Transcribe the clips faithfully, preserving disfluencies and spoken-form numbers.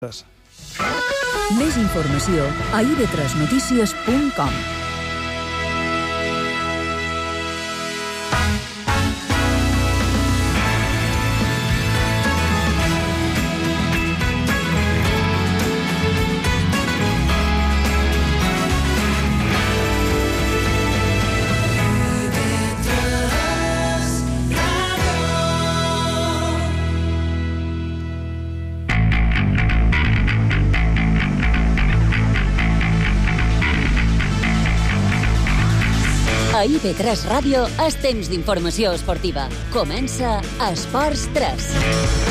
Més informació a i be tres notícies punt com. A i be tres Ràdio és temps d'informació esportiva. Comença Esports tres,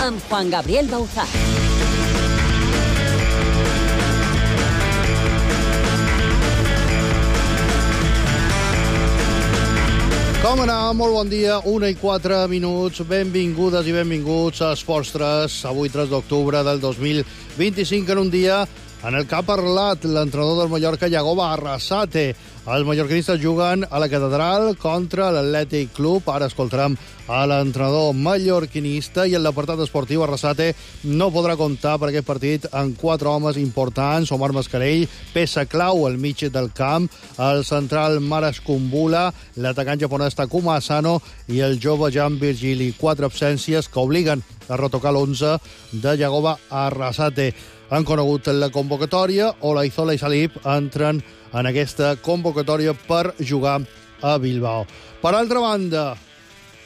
amb Juan Gabriel Bauzá. Com anar? Molt bon dia, una i quatre minuts. Benvingudes i benvinguts a Esports tres, avui tres d'octubre del dos mil vint-i-cinc, en un dia en el que ha parlat l'entrenador del Mallorca, Yagoba Arrasate. Els mallorquinistes juguen a la Catedral contra l'Atlètic Club. Ara escoltarem a l'entrenador mallorquinista, i en l'apartat esportiu Arrasate no podrà comptar per aquest partit amb quatre homes importants: Omar Mascarell, peça clau al mig del camp, el central Maras Kumbula, l'atacant japonès Takuma Asano i el jove Jan Virgili. Quatre absències que obliguen a retocar l'onze de Yagoba Arrasate. Han conegut la convocatòria. Olaizola i Salip entren en aquesta convocatòria per jugar a Bilbao. Per altra banda,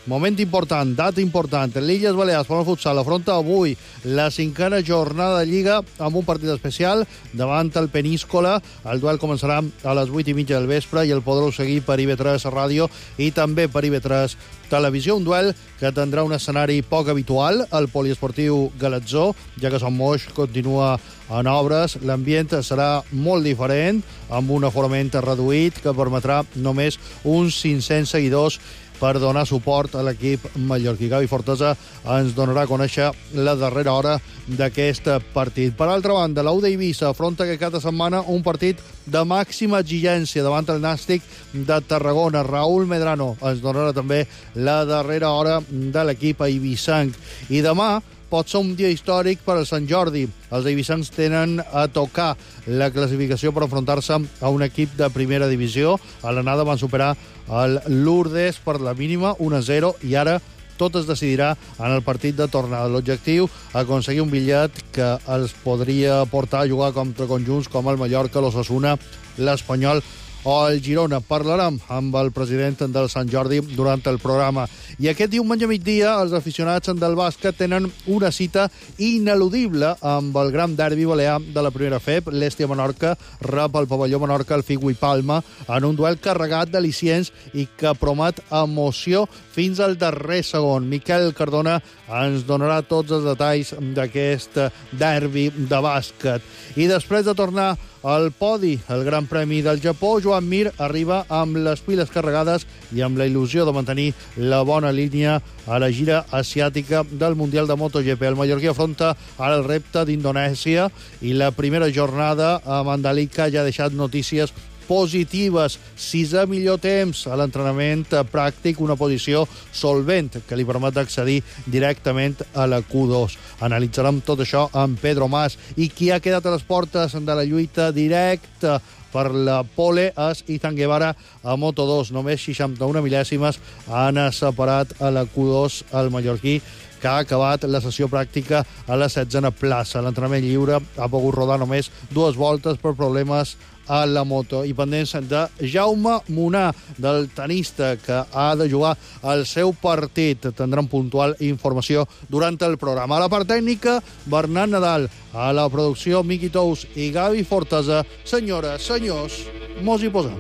moment important, data important. L'Illes Balears, per al futsal, afronta avui la cinquena jornada de Lliga amb un partit especial davant el Peníscola. El duel començarà a les vuit i mitja del vespre i el podreu seguir per i be tres Ràdio i també per i be tres Televisió. Un duel que tindrà un escenari poc habitual, el poliesportiu Galatzó, ja que Sant Moix continua en obres. L'ambient serà molt diferent, amb un aforament reduït que permetrà només uns cinc-cents seguidors per donar suport a l'equip mallorquí. Gavi Fortesa ens donarà a conèixer la darrera hora d'aquest partit. Per altra banda, la U de Eivissa afronta aquest cap de setmana un partit de màxima exigència davant el Nàstic de Tarragona. Raúl Medrano ens donarà també la darrera hora de l'equip eivissenc. I demà pot ser un dia històric per al Sant Jordi. Els eivissencs tenen a tocar la classificació per enfrontar-se a un equip de primera divisió. A l'anada van superar el Lourdes per la mínima, un a zero, i ara tot es decidirà en el partit de tornada. L'objectiu, aconseguir un bitllet que els podria portar a jugar contra conjunts com el Mallorca, l'Osasuna, l'Espanyol o el Girona. Parlarem amb el president del Sant Jordi durant el programa. I aquest diumenge a migdia els aficionats del bàsquet tenen una cita ineludible amb el gran derbi balear de la primera F E B. L'Hèstia Menorca rep al pavelló Menorca el Figo i Palma en un duel carregat d'al·licients i que promet emoció fins al darrer segon. Miquel Cardona ens donarà tots els detalls d'aquest derbi de bàsquet. I després de tornar al podi, el Gran Premi del Japó, Joan Mir arriba amb les piles carregades i amb la il·lusió de mantenir la bona línia a la gira asiàtica del Mundial de MotoGP. El mallorquí afronta ara el repte d'Indonèsia i la primera jornada a Mandalika ja ha deixat notícies positives. Sisè millor temps a l'entrenament pràctic, una posició solvent que li permet accedir directament a la Q dos. Analitzarem tot això amb Pedro Mas. I qui ha quedat a les portes de la lluita directa per la pole és Izan Guevara a Moto dos. Només seixanta-una mil·lèsimes han separat a la Q dos el mallorquí, que ha acabat la sessió pràctica a la setzena plaça. L'entrenament lliure ha pogut rodar només dues voltes per problemes a la moto. I pendents de Jaume Munar, del tenista, que ha de jugar el seu partit. Tindrem puntual informació durant el programa. A la part tècnica, Bernat Nadal. A la producció, Miqui Tous i Gavi Fortesa. Senyores, senyors, mos hi posem.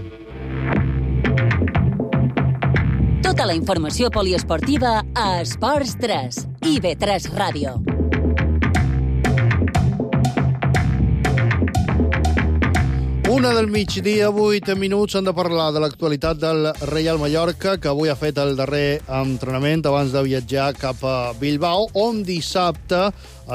Tota la informació poliesportiva a Esports tres, i be tres Ràdio. Una del migdia, vuit minuts, han de parlar de l'actualitat del Reial Mallorca, que avui ha fet el darrer entrenament abans de viatjar cap a Bilbao, on dissabte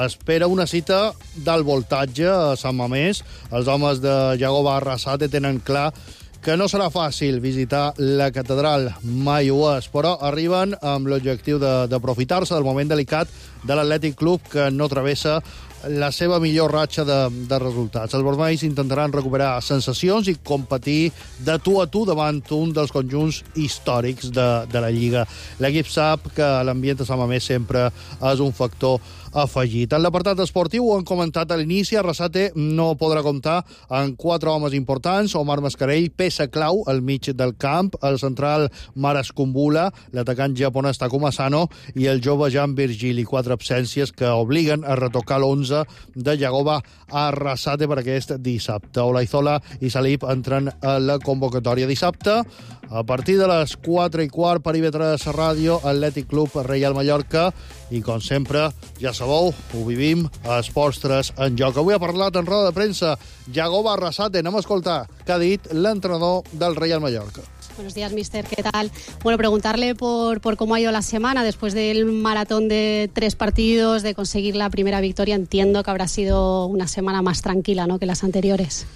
espera una cita d'alt voltatge a Sant Mamés. Els homes de Yagoba Arrasate tenen clar que no serà fàcil visitar la catedral, mai ho és, però arriben amb l'objectiu de, d'aprofitar-se del moment delicat de l'Atlètic Club, que no travessa la seva millor ratxa de, de resultats. Els vermells intentaran recuperar sensacions i competir de tu a tu davant un dels conjunts històrics de, de la Lliga. L'equip sap que l'ambient a Sant Mamés sempre és un factor afegit. En l'apartat esportiu, ho han comentat a l'inici, Arrasate no podrà comptar amb quatre homes importants: Omar Mascarell, peça clau al mig del camp, el central Maras Kumbula, l'atacant japonès Takuma Sano i el jove Jan Virgili. Quatre absències que obliguen a retocar l'onze de Yagoba Arrasate per aquest dissabte. Olaizola i Salip entren a la convocatòria dissabte. A partir de les quatre i quart, per I V tres Ràdio, Atlètic Club Reial Mallorca. I, com sempre, ja sabeu, ho vivim a Esports tres en joc. Avui ha parlat en roda de premsa Yagoba Arrasate. Anem a escoltar què ha dit l'entrenador del Reial Mallorca. Buenos días, mister. ¿Qué tal? Bueno, preguntarle por, por cómo ha ido la semana después del maratón de tres partidos, de conseguir la primera victoria. Entiendo que habrá sido una semana más tranquila, ¿no?, que las anteriores.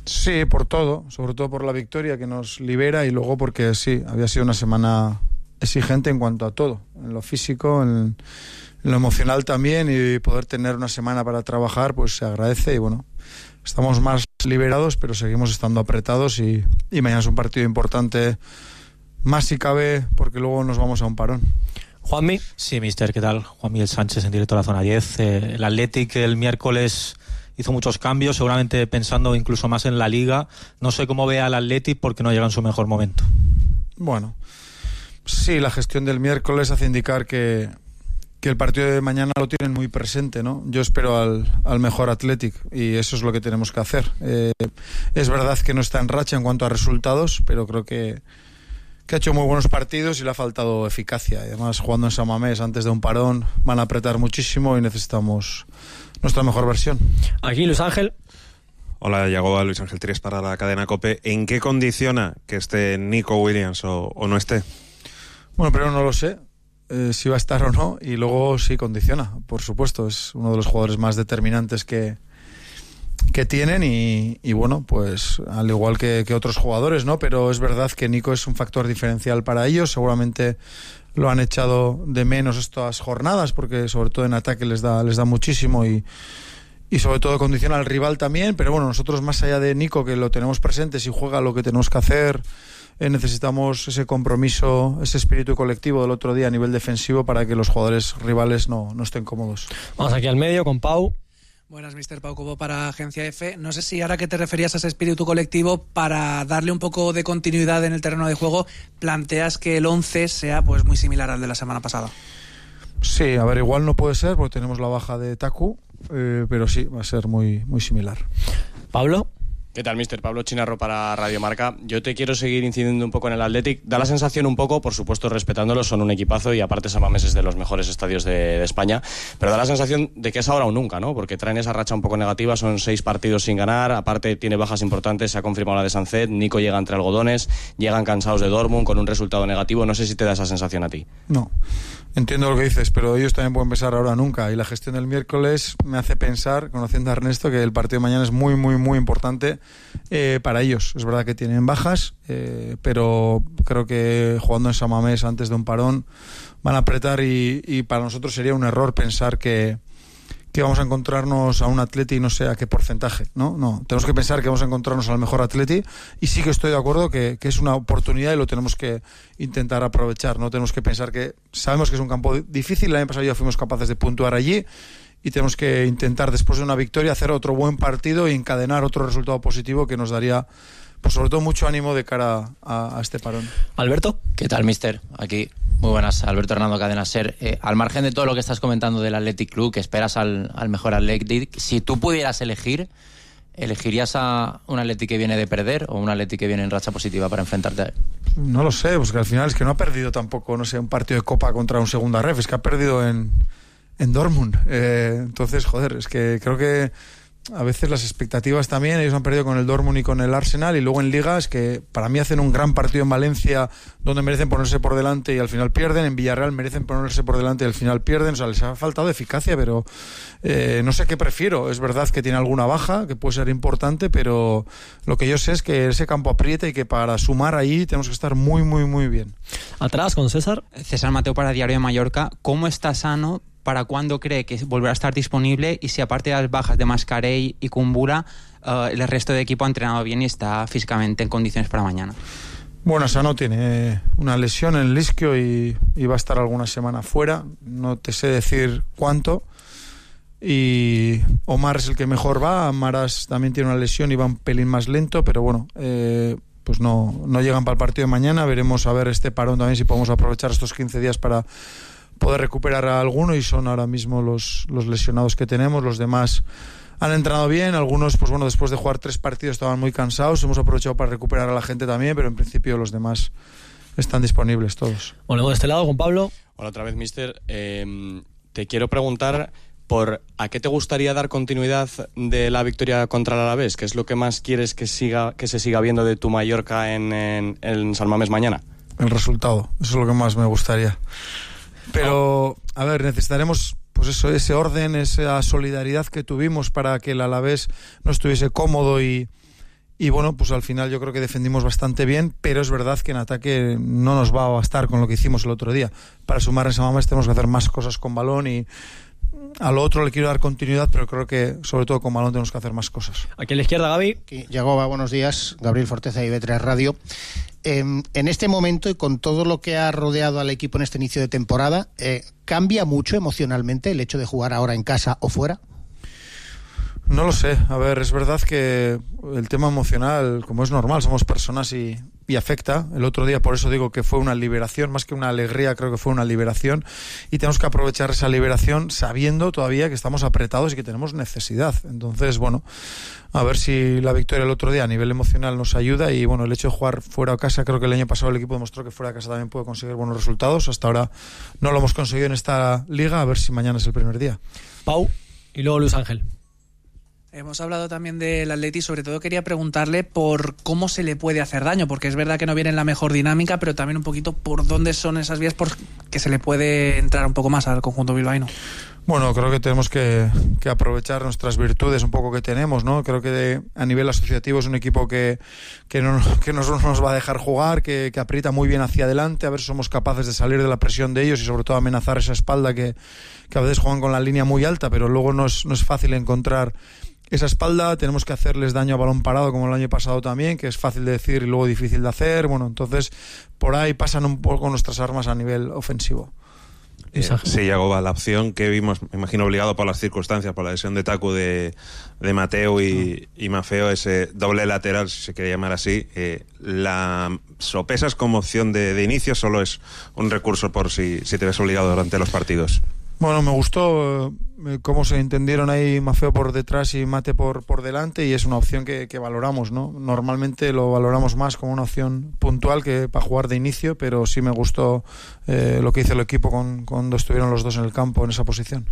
Sí, por todo, sobre todo por la victoria que nos libera y luego porque sí, había sido una semana exigente en cuanto a todo, en lo físico, en, en lo emocional también, y poder tener una semana para trabajar pues se agradece. Y bueno, estamos más liberados, pero seguimos estando apretados y, y mañana es un partido importante, más si cabe, porque luego nos vamos a un parón. Juanmi. Sí, mister, ¿qué tal? Juan Miguel Sánchez, en directo a la zona diez. Eh, el Athletic el miércoles hizo muchos cambios, seguramente pensando incluso más en la Liga. No sé cómo ve al Athletic porque no llega en su mejor momento. Bueno, sí, la gestión del miércoles hace indicar que, que el partido de mañana lo tienen muy presente, ¿no? Yo espero al, al mejor Athletic y eso es lo que tenemos que hacer. Eh, es verdad que no está en racha en cuanto a resultados, pero creo que, que ha hecho muy buenos partidos y le ha faltado eficacia. Además, jugando en San Mamés antes de un parón, van a apretar muchísimo y necesitamos nuestra mejor versión. Aquí Luis Ángel. Hola, Yagoba, Luis Ángel Tries para la cadena COPE. ¿En qué condiciona que esté Nico Williams o, o no esté? Bueno, primero no lo sé, eh, si va a estar o no, y luego sí condiciona, por supuesto. Es uno de los jugadores más determinantes que, que tienen y, y bueno, pues al igual que, que otros jugadores, ¿no? Pero es verdad que Nico es un factor diferencial para ellos. Seguramente lo han echado de menos estas jornadas porque sobre todo en ataque les da, les da muchísimo y, y sobre todo condiciona al rival también. Pero bueno, nosotros más allá de Nico, que lo tenemos presente, si juega lo que tenemos que hacer, eh, necesitamos ese compromiso, ese espíritu colectivo del otro día a nivel defensivo para que los jugadores rivales no, no estén cómodos. Vamos aquí al medio con Pau. Buenas, mister Pau Cobo para Agencia F. No sé si ahora que te referías a ese espíritu colectivo, para darle un poco de continuidad en el terreno de juego, planteas que el once sea pues muy similar al de la semana pasada. Sí, a ver, igual no puede ser porque tenemos la baja de Taku, eh, pero sí, va a ser muy, muy similar. Pablo. ¿Qué tal, mister? Pablo Chinarro para Radio Marca. Yo te quiero seguir incidiendo un poco en el Athletic. Da la sensación un poco, por supuesto respetándolo, son un equipazo y aparte San Mamés es de los mejores estadios de, de España, pero da la sensación de que es ahora o nunca, ¿no? Porque traen esa racha un poco negativa, son seis partidos sin ganar, aparte tiene bajas importantes, se ha confirmado la de Sancet, Nico llega entre algodones, llegan cansados de Dortmund con un resultado negativo. No sé si te da esa sensación a ti. No, entiendo lo que dices, pero ellos también pueden pensar ahora o nunca, y la gestión del miércoles me hace pensar, conociendo a Ernesto, que el partido de mañana es muy, muy, muy importante eh, para ellos. Es verdad que tienen bajas, eh, pero creo que jugando en San Mamés antes de un parón van a apretar y, y para nosotros sería un error pensar que, que vamos a encontrarnos a un Atleti no sé a qué porcentaje, ¿no? No, tenemos que pensar que vamos a encontrarnos al mejor Atleti y sí que estoy de acuerdo que, que es una oportunidad y lo tenemos que intentar aprovechar, ¿no? Tenemos que pensar que sabemos que es un campo difícil, el año pasado ya fuimos capaces de puntuar allí y tenemos que intentar después de una victoria hacer otro buen partido y encadenar otro resultado positivo que nos daría pues sobre todo mucho ánimo de cara a, a este parón. Alberto. ¿Qué tal, mister? Aquí, muy buenas, Alberto Hernando, Cadena SER. Eh, al margen de todo lo que estás comentando del Athletic Club, que esperas al, al mejor Athletic, si tú pudieras elegir, ¿elegirías a un Athletic que viene de perder o un Athletic que viene en racha positiva para enfrentarte a él? No lo sé, pues que al final es que no ha perdido tampoco, no sé, un partido de Copa contra un segunda ref, es que ha perdido en, en Dortmund. Eh, entonces, joder, es que creo que a veces las expectativas también, ellos han perdido con el Dortmund y con el Arsenal y luego en ligas que para mí hacen un gran partido en Valencia donde merecen ponerse por delante y al final pierden, en Villarreal merecen ponerse por delante y al final pierden, o sea, les ha faltado eficacia, pero eh, no sé qué prefiero. Es verdad que tiene alguna baja que puede ser importante, pero lo que yo sé es que ese campo aprieta y que para sumar ahí tenemos que estar muy muy muy bien. Atrás con César. César Mateo para Diario de Mallorca. ¿Cómo está Sano ¿para cuándo cree que volverá a estar disponible? Y si aparte de las bajas de Mascarell y Kumbula, uh, el resto del equipo ha entrenado bien y está físicamente en condiciones para mañana. Bueno, Sano tiene una lesión en el isquio y, y va a estar alguna semana fuera. No te sé decir cuánto. Y Omar es el que mejor va. Maras también tiene una lesión y va un pelín más lento, pero bueno, eh, pues no, no llegan para el partido de mañana. Veremos a ver este parón también, si podemos aprovechar estos quince días para poder recuperar a alguno, y son ahora mismo los, los lesionados que tenemos. Los demás han entrenado bien, algunos, pues bueno, después de jugar tres partidos estaban muy cansados. Hemos aprovechado para recuperar a la gente también, pero en principio los demás están disponibles todos. Bueno, de este lado, con Pablo. Hola otra vez, mister. Eh, te quiero preguntar por a qué te gustaría dar continuidad de la victoria contra el Alavés. ¿Qué es lo que más quieres que siga que se siga viendo de tu Mallorca en, en, en San Mamés mañana? El resultado, eso es lo que más me gustaría. Pero, a ver, necesitaremos pues eso, ese orden, esa solidaridad que tuvimos para que el Alavés no estuviese cómodo y, y bueno, pues al final yo creo que defendimos bastante bien, pero es verdad que en ataque no nos va a bastar con lo que hicimos el otro día. Para sumar en San Mamés tenemos que hacer más cosas con balón, y a lo otro le quiero dar continuidad, pero creo que sobre todo con balón tenemos que hacer más cosas. Aquí a la izquierda, Gaby. Yagoba, buenos días. Gabriel Forteza y B tres Radio. Eh, en este momento, y con todo lo que ha rodeado al equipo en este inicio de temporada, eh, ¿cambia mucho emocionalmente el hecho de jugar ahora en casa o fuera? No lo sé. A ver, es verdad que el tema emocional, como es normal, somos personas y, y afecta. El otro día, por eso digo que fue una liberación, más que una alegría, creo que fue una liberación, y tenemos que aprovechar esa liberación sabiendo todavía que estamos apretados y que tenemos necesidad. Entonces, bueno, a ver si la victoria el otro día a nivel emocional nos ayuda, y bueno, el hecho de jugar fuera de casa, creo que el año pasado el equipo demostró que fuera de casa también puede conseguir buenos resultados. Hasta ahora no lo hemos conseguido en esta liga, a ver si mañana es el primer día. Pau, y luego Luis Ángel. Hemos hablado también del Atleti, sobre todo quería preguntarle por cómo se le puede hacer daño, porque es verdad que no viene en la mejor dinámica, pero también un poquito por dónde son esas vías por que se le puede entrar un poco más al conjunto bilbaíno. Bueno, creo que tenemos que, que aprovechar nuestras virtudes un poco que tenemos, ¿no? Creo que de, a nivel asociativo es un equipo que, que, no, que no nos va a dejar jugar, que, que aprieta muy bien hacia adelante, a ver si somos capaces de salir de la presión de ellos y sobre todo amenazar esa espalda que, que a veces juegan con la línea muy alta, pero luego no es, no es fácil encontrar esa espalda. Tenemos que hacerles daño a balón parado como el año pasado también, que es fácil de decir y luego difícil de hacer. Bueno, entonces por ahí pasan un poco nuestras armas a nivel ofensivo. Eh, sí, Yagoba, la opción que vimos, me imagino obligado por las circunstancias, por la lesión de Taku de, de Mateo y, y Mafeo, ese doble lateral, si se quiere llamar así, eh, ¿la sopesas como opción de, de inicio? ¿Solo es un recurso por si, si te ves obligado durante los partidos? Bueno, me gustó eh, cómo se entendieron ahí Mafeo por detrás y Mate por, por delante, y es una opción que, que valoramos, ¿no? Normalmente lo valoramos más como una opción puntual que para jugar de inicio, pero sí me gustó eh, lo que hizo el equipo con, cuando estuvieron los dos en el campo en esa posición.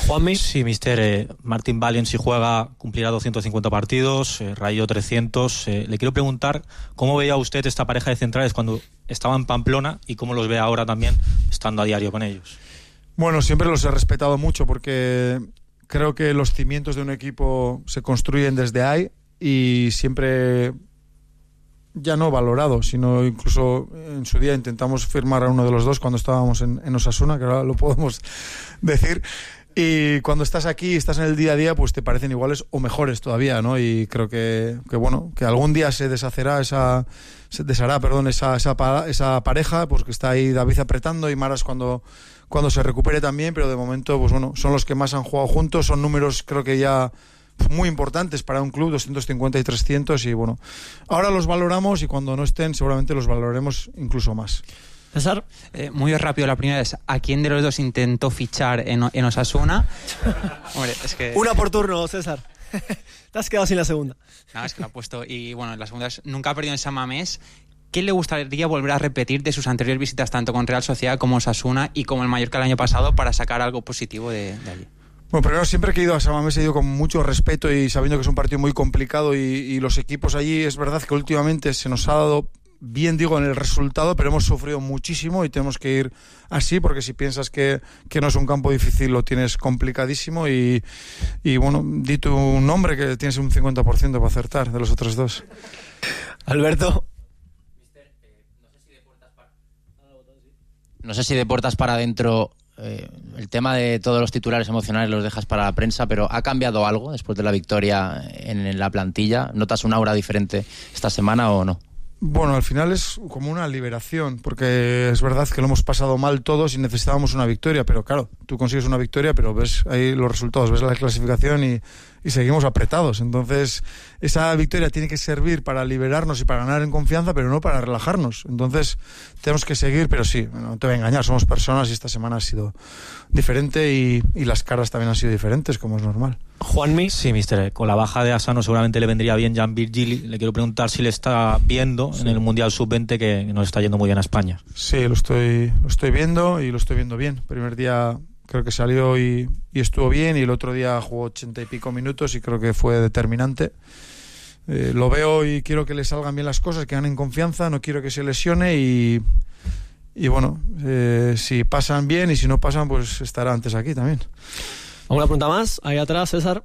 Juanmi. Sí, mister. Eh, Martin Valiant, si juega, cumplirá doscientos cincuenta partidos, eh, Rayo trescientos. Eh, le quiero preguntar cómo veía usted esta pareja de centrales cuando estaba en Pamplona y cómo los ve ahora también estando a diario con ellos. Bueno, siempre los he respetado mucho porque creo que los cimientos de un equipo se construyen desde ahí, y siempre, ya no valorado, sino incluso en su día intentamos firmar a uno de los dos cuando estábamos en, en Osasuna, que ahora lo podemos decir. Y cuando estás aquí, estás en el día a día, pues te parecen iguales o mejores todavía, ¿no? Y creo que, que bueno, que algún día se deshacerá esa, se deshará, perdón, esa, esa, esa pareja, pues que está ahí David apretando y Maras cuando cuando se recupere también, pero de momento, pues bueno, son los que más han jugado juntos, son números creo que ya muy importantes para un club, doscientos cincuenta y trescientos, y bueno, ahora los valoramos y cuando no estén seguramente los valoraremos incluso más. César, eh, muy rápido, la primera es, ¿a quién de los dos intentó fichar en, en Osasuna? Hombre, es que... Una por turno, César. Te has quedado sin la segunda. No, es que lo ha puesto, y bueno, la segunda es, nunca ha perdido en San Mamés. ¿Qué le gustaría volver a repetir de sus anteriores visitas tanto con Real Sociedad como Osasuna y como el Mallorca el año pasado para sacar algo positivo de, de allí? Bueno, primero, siempre que he ido a San Mamés he ido con mucho respeto y sabiendo que es un partido muy complicado, y, y los equipos allí, es verdad que últimamente se nos ha dado bien, digo, en el resultado, pero hemos sufrido muchísimo y tenemos que ir así, porque si piensas que, que no es un campo difícil, lo tienes complicadísimo, y, y bueno, di tu nombre que tienes un cincuenta por ciento para acertar de los otros dos. Alberto. No sé si de puertas para adentro eh, el tema de todos los titulares emocionales los dejas para la prensa, pero ¿ha cambiado algo después de la victoria en, en la plantilla? ¿Notas un aura diferente esta semana o no? Bueno, al final es como una liberación, porque es verdad que lo hemos pasado mal todos y necesitábamos una victoria, pero claro, tú consigues una victoria, pero ves ahí los resultados, ves la clasificación y, y seguimos apretados. Entonces, esa victoria tiene que servir para liberarnos y para ganar en confianza, pero no para relajarnos. Entonces, tenemos que seguir, pero sí, no te voy a engañar, somos personas y esta semana ha sido diferente y, y las caras también han sido diferentes, como es normal. Juanmi. Sí, mister, con la baja de Asano seguramente le vendría bien Jan Virgili. Le quiero preguntar si le está viendo sí. en el Mundial sub veinte, que nos está yendo muy bien a España. Sí, lo estoy, lo estoy viendo y lo estoy viendo bien. Primer día creo que salió y, y estuvo bien, y el otro día jugó ochenta y pico minutos y creo que fue determinante. Eh, lo veo y quiero que le salgan bien las cosas, que ganen confianza, no quiero que se lesione y, y bueno, eh, si pasan bien y si no pasan, pues estará antes aquí también. ¿Alguna pregunta más? Ahí atrás, César.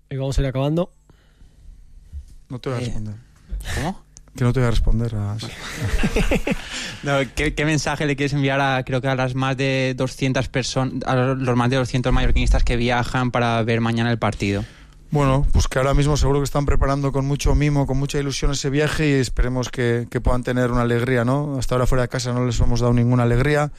Y vamos a ir acabando. No te voy a responder. ¿Cómo? Que no te voy a responder a... no, ¿qué, ¿Qué mensaje le quieres enviar a, creo que a las más de doscientas personas, a los más de doscientos mallorquinistas que viajan para ver mañana el partido? Bueno, pues que ahora mismo seguro que están preparando con mucho mimo, con mucha ilusión ese viaje, y esperemos que, que puedan tener una alegría, ¿no? Hasta ahora fuera de casa no les hemos dado ninguna alegría.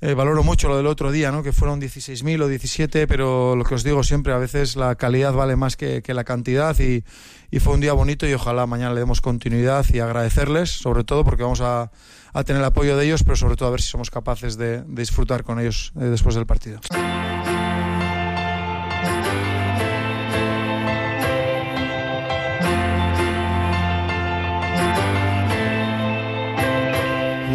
Eh, valoro mucho lo del otro día, ¿no? Que fueron dieciséis mil o diecisiete, pero lo que os digo siempre, a veces la calidad vale más que, que la cantidad, y, y fue un día bonito y ojalá mañana le demos continuidad y agradecerles, sobre todo porque vamos a, a tener el apoyo de ellos, pero sobre todo a ver si somos capaces de, de disfrutar con ellos eh, después del partido.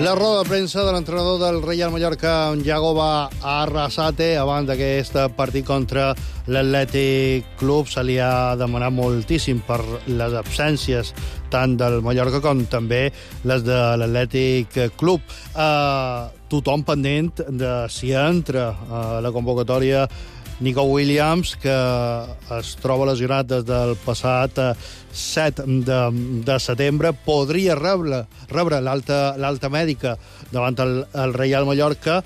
La roda de premsa de l'entrenador del Reial Mallorca, Yagoba Arrasate, abans d'aquest partit contra l'Atlètic Club. Se li ha demanat moltíssim per les absències tant del Mallorca com també les de l'Atlètic Club. Uh, tothom pendent de si entra a la convocatòria Nico Williams, que es troba lesionat des del passat set de, de setembre. Podria rebre, rebre l'alta, l'alta mèdica davant el, el Reial Mallorca.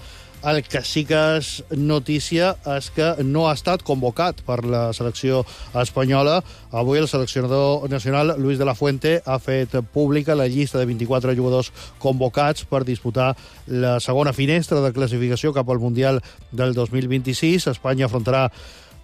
El que sí que és notícia és que no ha estat convocat per la selecció espanyola. Avui el seleccionador nacional, Luis de la Fuente, ha fet pública la llista de vint-i-quatre jugadors convocats per disputar la segona finestra de classificació cap al Mundial del dos mil vint-i-sis. Espanya afrontarà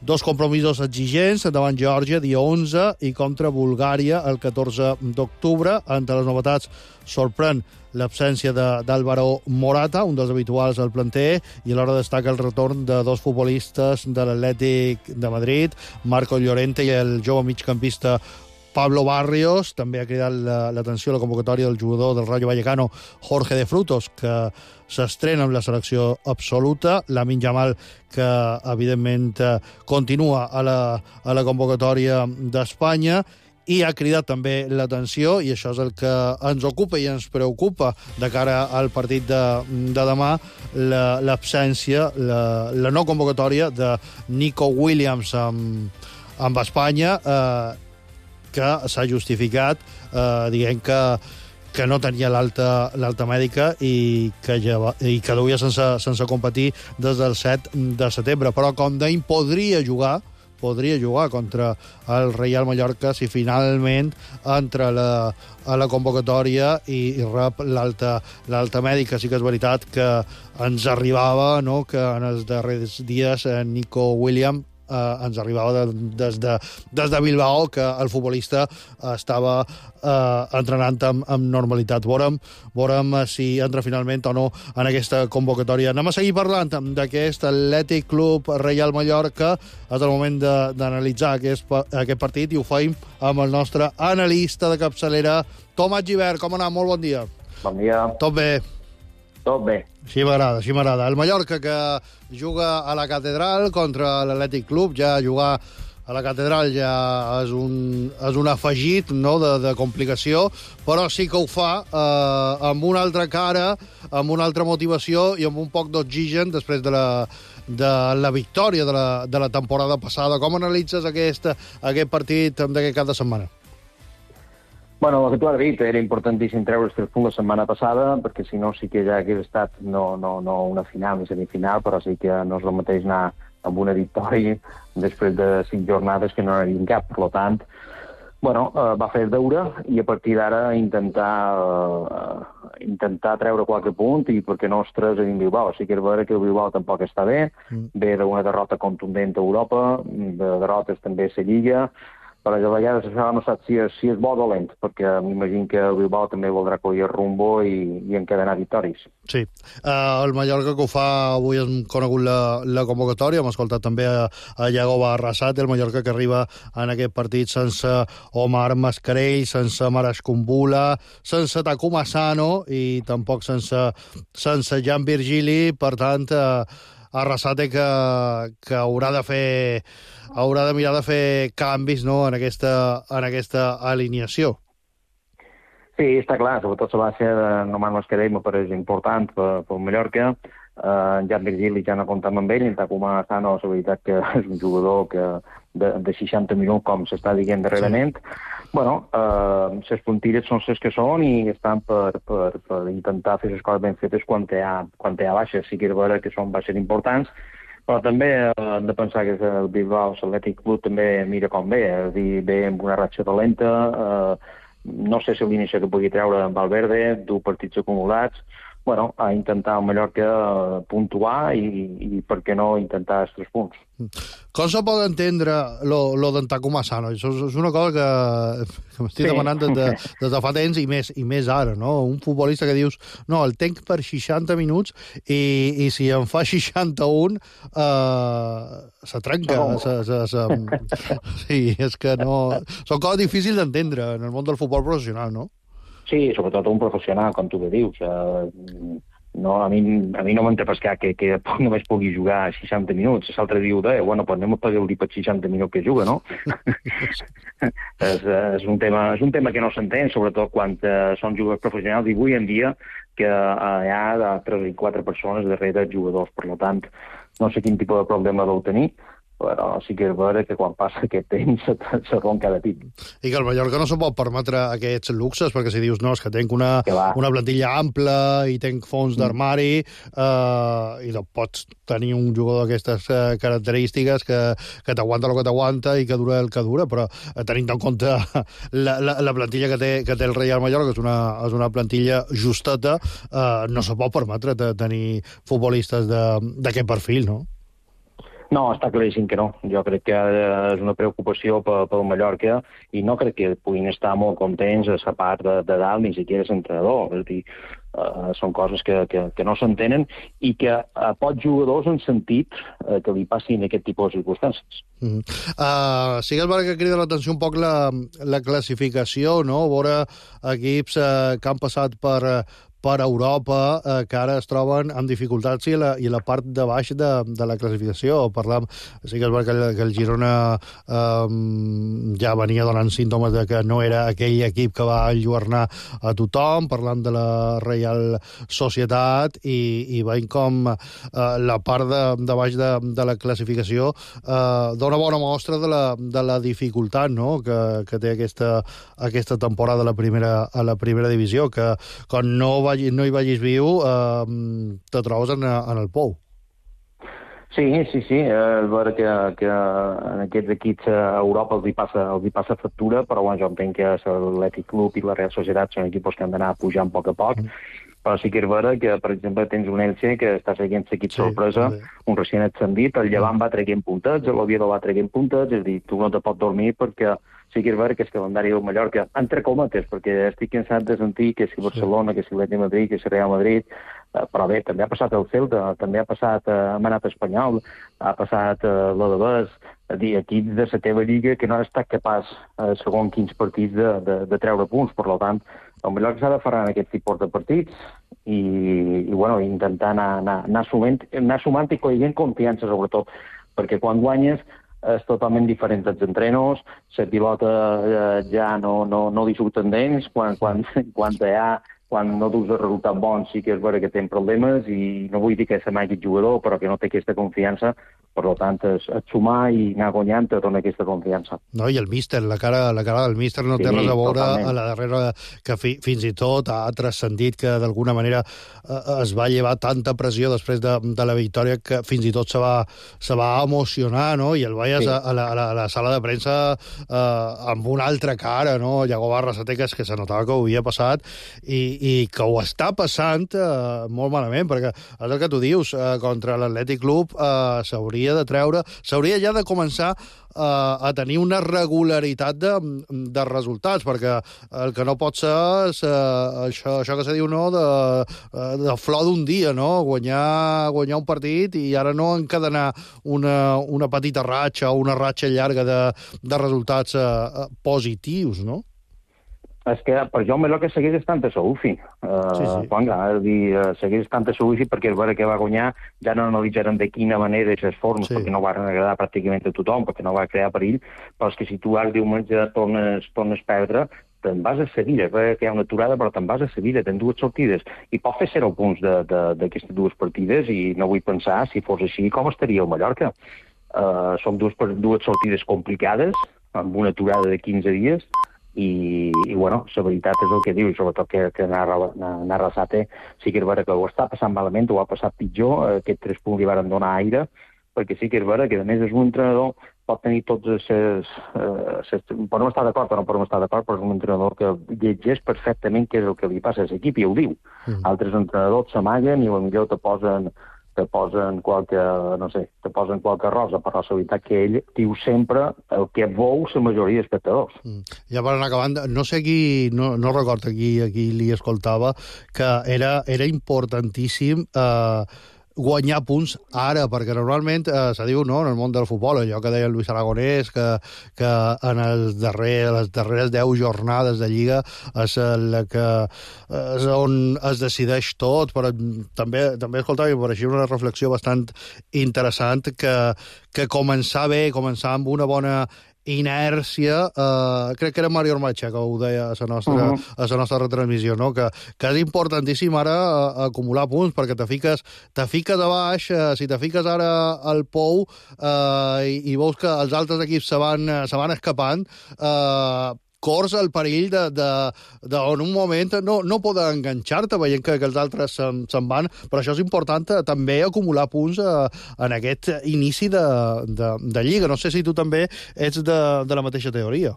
dos compromisos exigents davant Geòrgia, dia onze, i contra Bulgària, el catorze d'octubre. Entre les novetats sorprèn l'absència d'Álvaro Morata, un dels habituals al planter, i alhora destaca el retorn de dos futbolistes de l'Atlètic de Madrid, Marco Llorente i el jove migcampista Pablo Barrios. També ha cridat l'atenció a la convocatòria del jugador del Rayo Vallecano, Jorge de Frutos, que s'estrena amb la selecció absoluta. Lamine Yamal, que evidentment continua a la, a la convocatòria d'Espanya, i ha cridat també l'atenció, i això és el que ens ocupa i ens preocupa de cara al partit de, de demà, l'absència, la, la no convocatòria de Nico Williams amb, amb Espanya, eh, que s'ha justificat eh, dient que, que no tenia l'alta l'alta mèdica i que, ja, i que duia sense, sense competir des del set de setembre. Però, com deim, podria jugar podria jugar contra el Reial Mallorca si finalment entra la, a la convocatòria i, i rep l'alta l'alta mèdica. Sí que és veritat que ens arribava, no?, que en els darrers dies Nico Williams eh, ens arribava de, des, de, des de Bilbao, que el futbolista estava eh, entrenant amb, amb normalitat. Veurem, veurem si entra finalment o no en aquesta convocatòria. Anem a seguir parlant d'aquest Atlètic Club Reial Mallorca. És el moment d'analitzar aquest, aquest partit, i ho feim amb el nostre analista de capçalera, Tomàs Gibert. Com ha anat? Molt bon dia. Bon dia. Tot bé? Tot bé. Així m'agrada, així m'agrada. El Mallorca, que juga a la Catedral contra l'Atlètic Club. Ja jugar a la Catedral ja és un, és un afegit, no?, de, de complicació, però sí que ho fa eh, amb una altra cara, amb una altra motivació i amb un poc d'oxigen després de la, de la victòria de la, de la temporada passada. Com analitzes aquest, aquest partit d'aquest cap de setmana? Bueno, el que tu has dit, era importantíssim treure els tres punts la setmana passada, perquè si no sí que ja hagués estat no, no, no una final ni semifinal, però sí que no és el mateix anar amb una victòria després de cinc jornades que no n'havien cap. Per tant, bueno, eh, va fer el deure i a partir d'ara intentar eh, intentar treure qualque punt i perquè no els tres en Bilbao. Sí que és vera que el Bilbao tampoc està bé, mm. ve d'una derrota contundent a Europa, de derrotes també a la Lliga, però a vegades això no sap si és, si és bo o dolent, perquè m'imagino que el Bilbao també voldrà collir el rumbo i, i encadenar victòries. Sí, uh, el Mallorca que ho fa, avui hem conegut la, la convocatòria, hem escoltat també a, a Yagoba Arrasate, el Mallorca que arriba en aquest partit sense Omar Mascarell, sense Maras Kumbula, sense Takuma Asano i tampoc sense, sense Jan Virgili, per tant, uh, Arrasate que, que haurà de fer haurà de mirar de fer canvis, no?, en aquesta, en aquesta alineació. Sí, està clar, sobretot la baixa de Omar Mascarell me pareix important per, per Mallorca. Uh, Jan Virgili ja no comptem amb ell, i Takuma Asano, la veritat que és un jugador que de, de seixanta minuts, com s'està dient darrerament. Sí. Bueno, uh, les puntilles són les que són i estan per, per, per intentar fer les coses ben fetes quan hi ha, quan hi ha baixes. Sí que és vera que són baixes importants, però també eh, hem de pensar que el Bilbao, l'Atlètic Club, també mira com ve, és a dir, ve amb una ratxa dolenta, eh, no sé si l'inici que pugui treure amb Valverde, dur partits acumulats, bueno, a intentar el Mallorca puntuar i, i per què no intentar els tres punts. Com se pot entendre lo, lo d'en Takuma Asano? Això és una cosa que, que m'estic sí. demanant des de, des de fa temps i més, i més ara, no? Un futbolista que dius, no, el tenc per seixanta minuts i, i si en fa seixanta-un eh, se trenca. No. Se, se, se, sí, és que no... Són coses difícils d'entendre en el món del futbol professional, no? Sí, sobretot un professional, com tu bé dius. Uh, no, a mi, a mi no m'entra pescar que, que només pugui jugar seixanta minuts. L'altre diu, de, bueno, pues anem a pagar-li per seixanta minuts que juga, no? és, és, un tema, és un tema que no s'entén, sobretot quan uh, són jugadors professionals, i avui en dia que uh, hi ha tres i quatre persones darrere jugadors. Per tant, no sé quin tipus de problema deu tenir, però sí que és vera que quan passa aquest temps se romp cada tip. I que el Mallorca no se pot permetre aquests luxes, perquè si dius, no, és que tenc una, una plantilla ampla i tenc fons d'armari, eh, i no pots tenir un jugador d'aquestes eh, característiques que, que t'aguanta el que t'aguanta i que dura el que dura, però eh, tenint en compte la, la, la plantilla que té, que té el Real Mallorca, que és una, és una plantilla justeta, eh, no se pot permetre de tenir futbolistes d'aquest perfil, no? No, està claríssim que no. Jo crec que és una preocupació pel, pel Mallorca i no crec que puguin estar molt contents a la part de, de dalt, ni siquiera l'entrenador. És a dir, uh, són coses que, que, que no s'entenen i que a pocs jugadors han sentit uh, que li passin aquest tipus de circumstàncies. Mm. Uh, sí que és vera que crida l'atenció un poc la, la classificació, no? Veure equips uh, que han passat per... per Europa, eh, que ara es troben amb dificultats i la, i la part de baix de, de la classificació. Parlam, sí que és veritat que, el, que el Girona eh, ja venia donant símptomes de que no era aquell equip que va enlluernar a tothom, parlant de la Real Societat, i, i veiem com eh, la part de, de baix de, de la classificació eh, dona bona mostra de la, de la dificultat, no?, que, que té aquesta, aquesta temporada a la primera, a la primera divisió, que quan no va no hi vagis viu, eh, te trobes en, en el pou. Sí, sí, sí. És vera que, que en aquests equips a Europa els hi passa, els hi passa factura, però bueno, jo entenc que l'Atlètic Club i la Real Societat són equips que han d'anar pujant a poc a poc, mm. però sí que és vera que, per exemple, tens un Elche que està seguint l'equip sí, sorpresa, sí. Un recient ascendit, el Llevant va traient puntets, l'Oviedo va traient puntets, és a dir, tu no te pots dormir perquè sí que és vera que el calendari del Mallorca, entre cometes, perquè estic cansat de sentir que si Barcelona, que si l'Atlètic Madrid, que si Real Madrid, eh, però bé, també ha passat el Celta, també ha passat eh, Manat Espanyol, ha passat eh, l'Alavés, és a dir, equips de la teva lliga que no han estat capaç, eh, segons quins partits, de, de, de treure punts. Per tant, el Mallorca s'ha de fer en aquest tipus de partits i, i bueno, intentar anar, anar, anar, sumant, anar sumant i collint confiança, sobretot, perquè quan guanyes és totalment diferent dels entrenos, la pilota eh, ja no, no, no li surten dents, quan, quan, quan, ha, quan no dus el resultat bon sí que és vera que tenen problemes i no vull dir que se m'hagi jugador, però que no té aquesta confiança, Per tant, és, és sumar i anar guanyant te dona aquesta confiança. No, i el míster, la cara, la cara del míster no Sí, té res a veure totalment. a la darrera, que fi, fins i tot ha transcendit que d'alguna manera eh, es va llevar tanta pressió després de, de la victòria que fins i tot se va, se va emocionar, no? I el veies Sí. a, a, la, a, la, a la sala de premsa eh, amb una altra cara, no? Llagoba Arrasatecas, que se notava que ho havia passat i, i que ho està passant eh, molt malament, perquè és el que tu dius, eh, contra l'Atlètic Club eh, s'hauria de treure, s'hauria ja de començar eh, a tenir una regularitat de, de resultats, perquè el que no pot ser és eh, això, això que se diu, no?, de, eh, de flor d'un dia, no?, guanyar, guanyar un partit i ara no encadenar una, una petita ratxa o una ratxa llarga de, de resultats eh, positius, no? És que per jo el que segueix estant a Soufi. Uh, Sí, sí. Juanga, és dir, uh, segueix estant a Soufi perquè el veure que va guanyar ja no analitzarem de quina manera aquestes formes, Sí. perquè no van agradar pràcticament a tothom, perquè no va crear perill, però és que si tu ara diumenge tornes, tornes a perdre, te'n vas a Sevilla, veure que hi ha una aturada, però te'n vas a Sevilla, tens dues sortides, i pots fer zero punts d'aquestes dues partides, i no vull pensar, si fos així, com estaria el Mallorca. Uh, són dues, dues sortides complicades, amb una aturada de quinze dies, i, i bueno, la veritat és el que diu, i sobretot que, que narra, narra Sate, sí que és vera que ho està passant malament, ho ha passat pitjor, aquests tres punts li van donar aire, perquè sí que és vera que a més és un entrenador, pot tenir tots els... Eh, podem estar d'acord o no podem estar d'acord, però és un entrenador que llegeix perfectament què és el que li passa a l'equip i ho diu. Mm. Altres entrenadors s'amaguen i potser te posen te posen qualque, no sé, te posen qualque rosa, però la veritat que ell diu sempre el que veu la majoria d'espectadors. Mm. Ja per anar acabant, no sé qui, no, no recordo qui, qui li escoltava, que era, era importantíssim eh, guanyar punts ara, perquè normalment eh, se diu, no, en el món del futbol, allò que deia el Luis Aragonès, que, que en els darrer, les darreres deu jornades de Lliga és la que és on es decideix tot, però també, també escoltava i em pareixia una reflexió bastant interessant que, que començar bé, començar amb una bona inèrcia, eh, crec que era Mario Ormacha que ho deia a la nostra, uh -huh. a la nostra retransmissió, no? que, que és importantíssim ara eh, acumular punts, perquè te fiques, te fiques a baix, eh, si te fiques ara al pou eh, i, i veus que els altres equips se van, se van escapant, eh, cors el perill de, de, de en un moment no, no poder enganxar-te veient que, que els altres se'n, se'n van, però això és important també acumular punts eh, en aquest inici de, de, de Lliga. No sé si tu també ets de, de la mateixa teoria.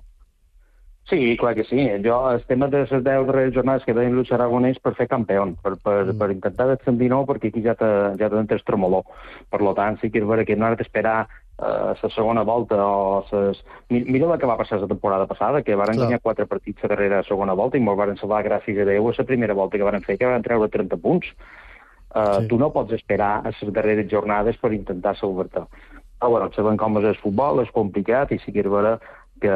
Sí, clar que sí. Jo, el tema de les deu darreres jornades que deien Luis Aragonès per fer campió, per, per, mm. per intentar descendir no, perquè aquí ja te, ja te entres tremoló. Per tant, sí que és vera que no ha d'esperar la uh, segona volta o ses... Mira el que va passar la temporada passada, que van guanyar quatre partits a darrere la segona volta i molt van salvar gràcies a Déu a la primera volta que van fer, que van treure trenta punts. Uh, sí. Tu no pots esperar a les darreres jornades per intentar salvar-te. Però bueno, sabem com és el futbol, és complicat i sí que és vera que,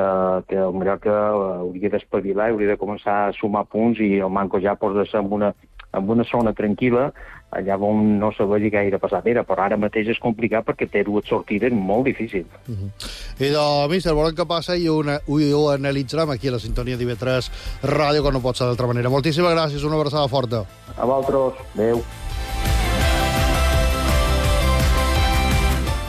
que el Mallorca hauria d'espavilar, hauria de començar a sumar punts i el Manco ja posa-se en una, en una zona tranquil·la, allà on no se vegi gaire passadera, però ara mateix és complicat perquè té dues sortides molt difícils. Uh -huh. I doncs, míster, veurem què passa i ho, ho analitzarem aquí a la sintonia d'I V tres Ràdio, que no pot ser d'altra manera. Moltíssimes gràcies, una abraçada forta. A vosaltres, adeu.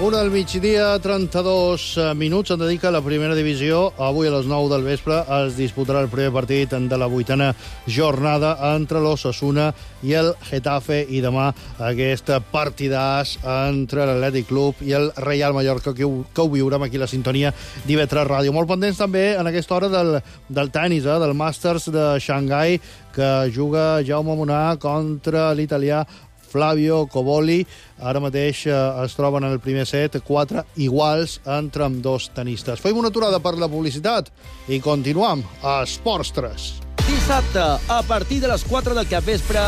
Una del migdia, trenta-dos minuts, en dedica a la primera divisió. Avui a les nou del vespre es disputarà el primer partit de la vuitena jornada entre l'Osasuna i el Getafe, i demà aquest partidàs entre l'Atlètic Club i el Reial Mallorca, que ho, que ho viurem aquí a la sintonia d'I V tres Ràdio. Molt pendents també en aquesta hora del, del tennis, eh, del Masters de Xangai, que juga Jaume Munar contra l'italià Flavio Coboli. Ara mateix eh, es troben en el primer set, quatre iguals entre amb dos tenistes. Fem una aturada per la publicitat i continuam a Esports tres. Dissabte, a partir de les quatre del capvespre,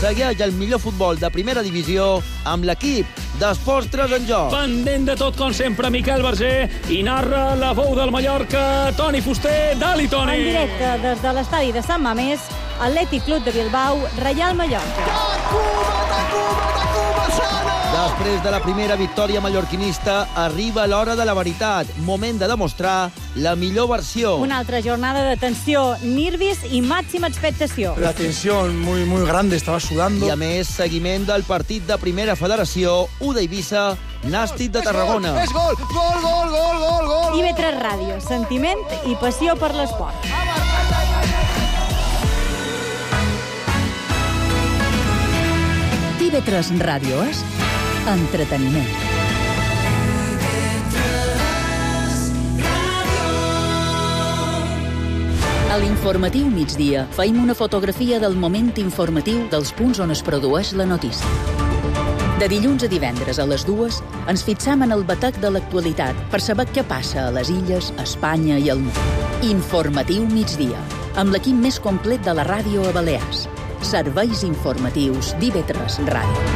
segueix el millor futbol de primera divisió amb l'equip d'Esports tres en joc. Pendent de tot, com sempre, Miquel Verger, i narra la veu del Mallorca, Toni Fuster. Dali, Toni! En directe des de l'estadi de Sant Mamés, Atlètic Club de Bilbao, Reial Mallorca. Després de la primera victòria mallorquinista, arriba l'hora de la veritat. Moment de demostrar la millor versió. Una altra jornada de tensió, nervis i màxima expectació. La tensión muy, muy grande, estaba sudando. I a més, seguiment del partit de Primera Federació, U d'Eivissa Nàstic de Tarragona. És gol, gol, gol, gol, gol, gol. I B tres Ràdio, sentiment i passió per l'esport. I B tres Ràdio és entreteniment. A l'informatiu migdia feim una fotografia del moment informatiu dels punts on es produeix la notícia. De dilluns a divendres a les dues ens fixam en el batec de l'actualitat per saber què passa a les illes, a Espanya i al món. Informatiu migdia, amb l'equip més complet de la ràdio a Balears. Serveis informatius d'I B tres Ràdio.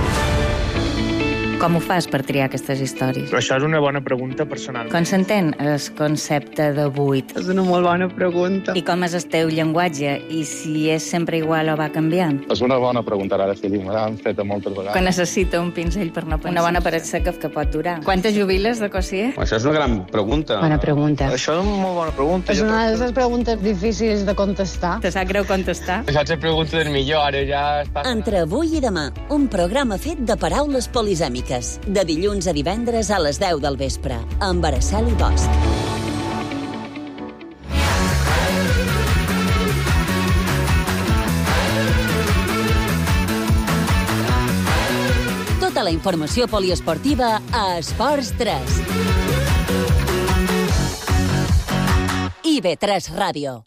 Com ho fas per triar aquestes històries? Però això és una bona pregunta personal. Com s'entén el concepte de buit? És una molt bona pregunta. I com és el teu llenguatge? I si és sempre igual o va canviant? És una bona pregunta, ara sí, me l'han fet moltes vegades. Que necessita un pinzell per no pensar. Una bona paret seca que pot durar. Quantes jubiles de Cossier? Això és una gran pregunta. Bona pregunta. Això és una molt bona pregunta. És una de les preguntes difícils de contestar. Te sap greu contestar? Això és la pregunta del millor, ara ja està... Entre avui i demà, un programa fet de paraules polisèmiques. De dilluns a divendres a les deu del vespre, amb Araceli Bosch. Tota la informació poliesportiva a Esports tres. I B tres Ràdio.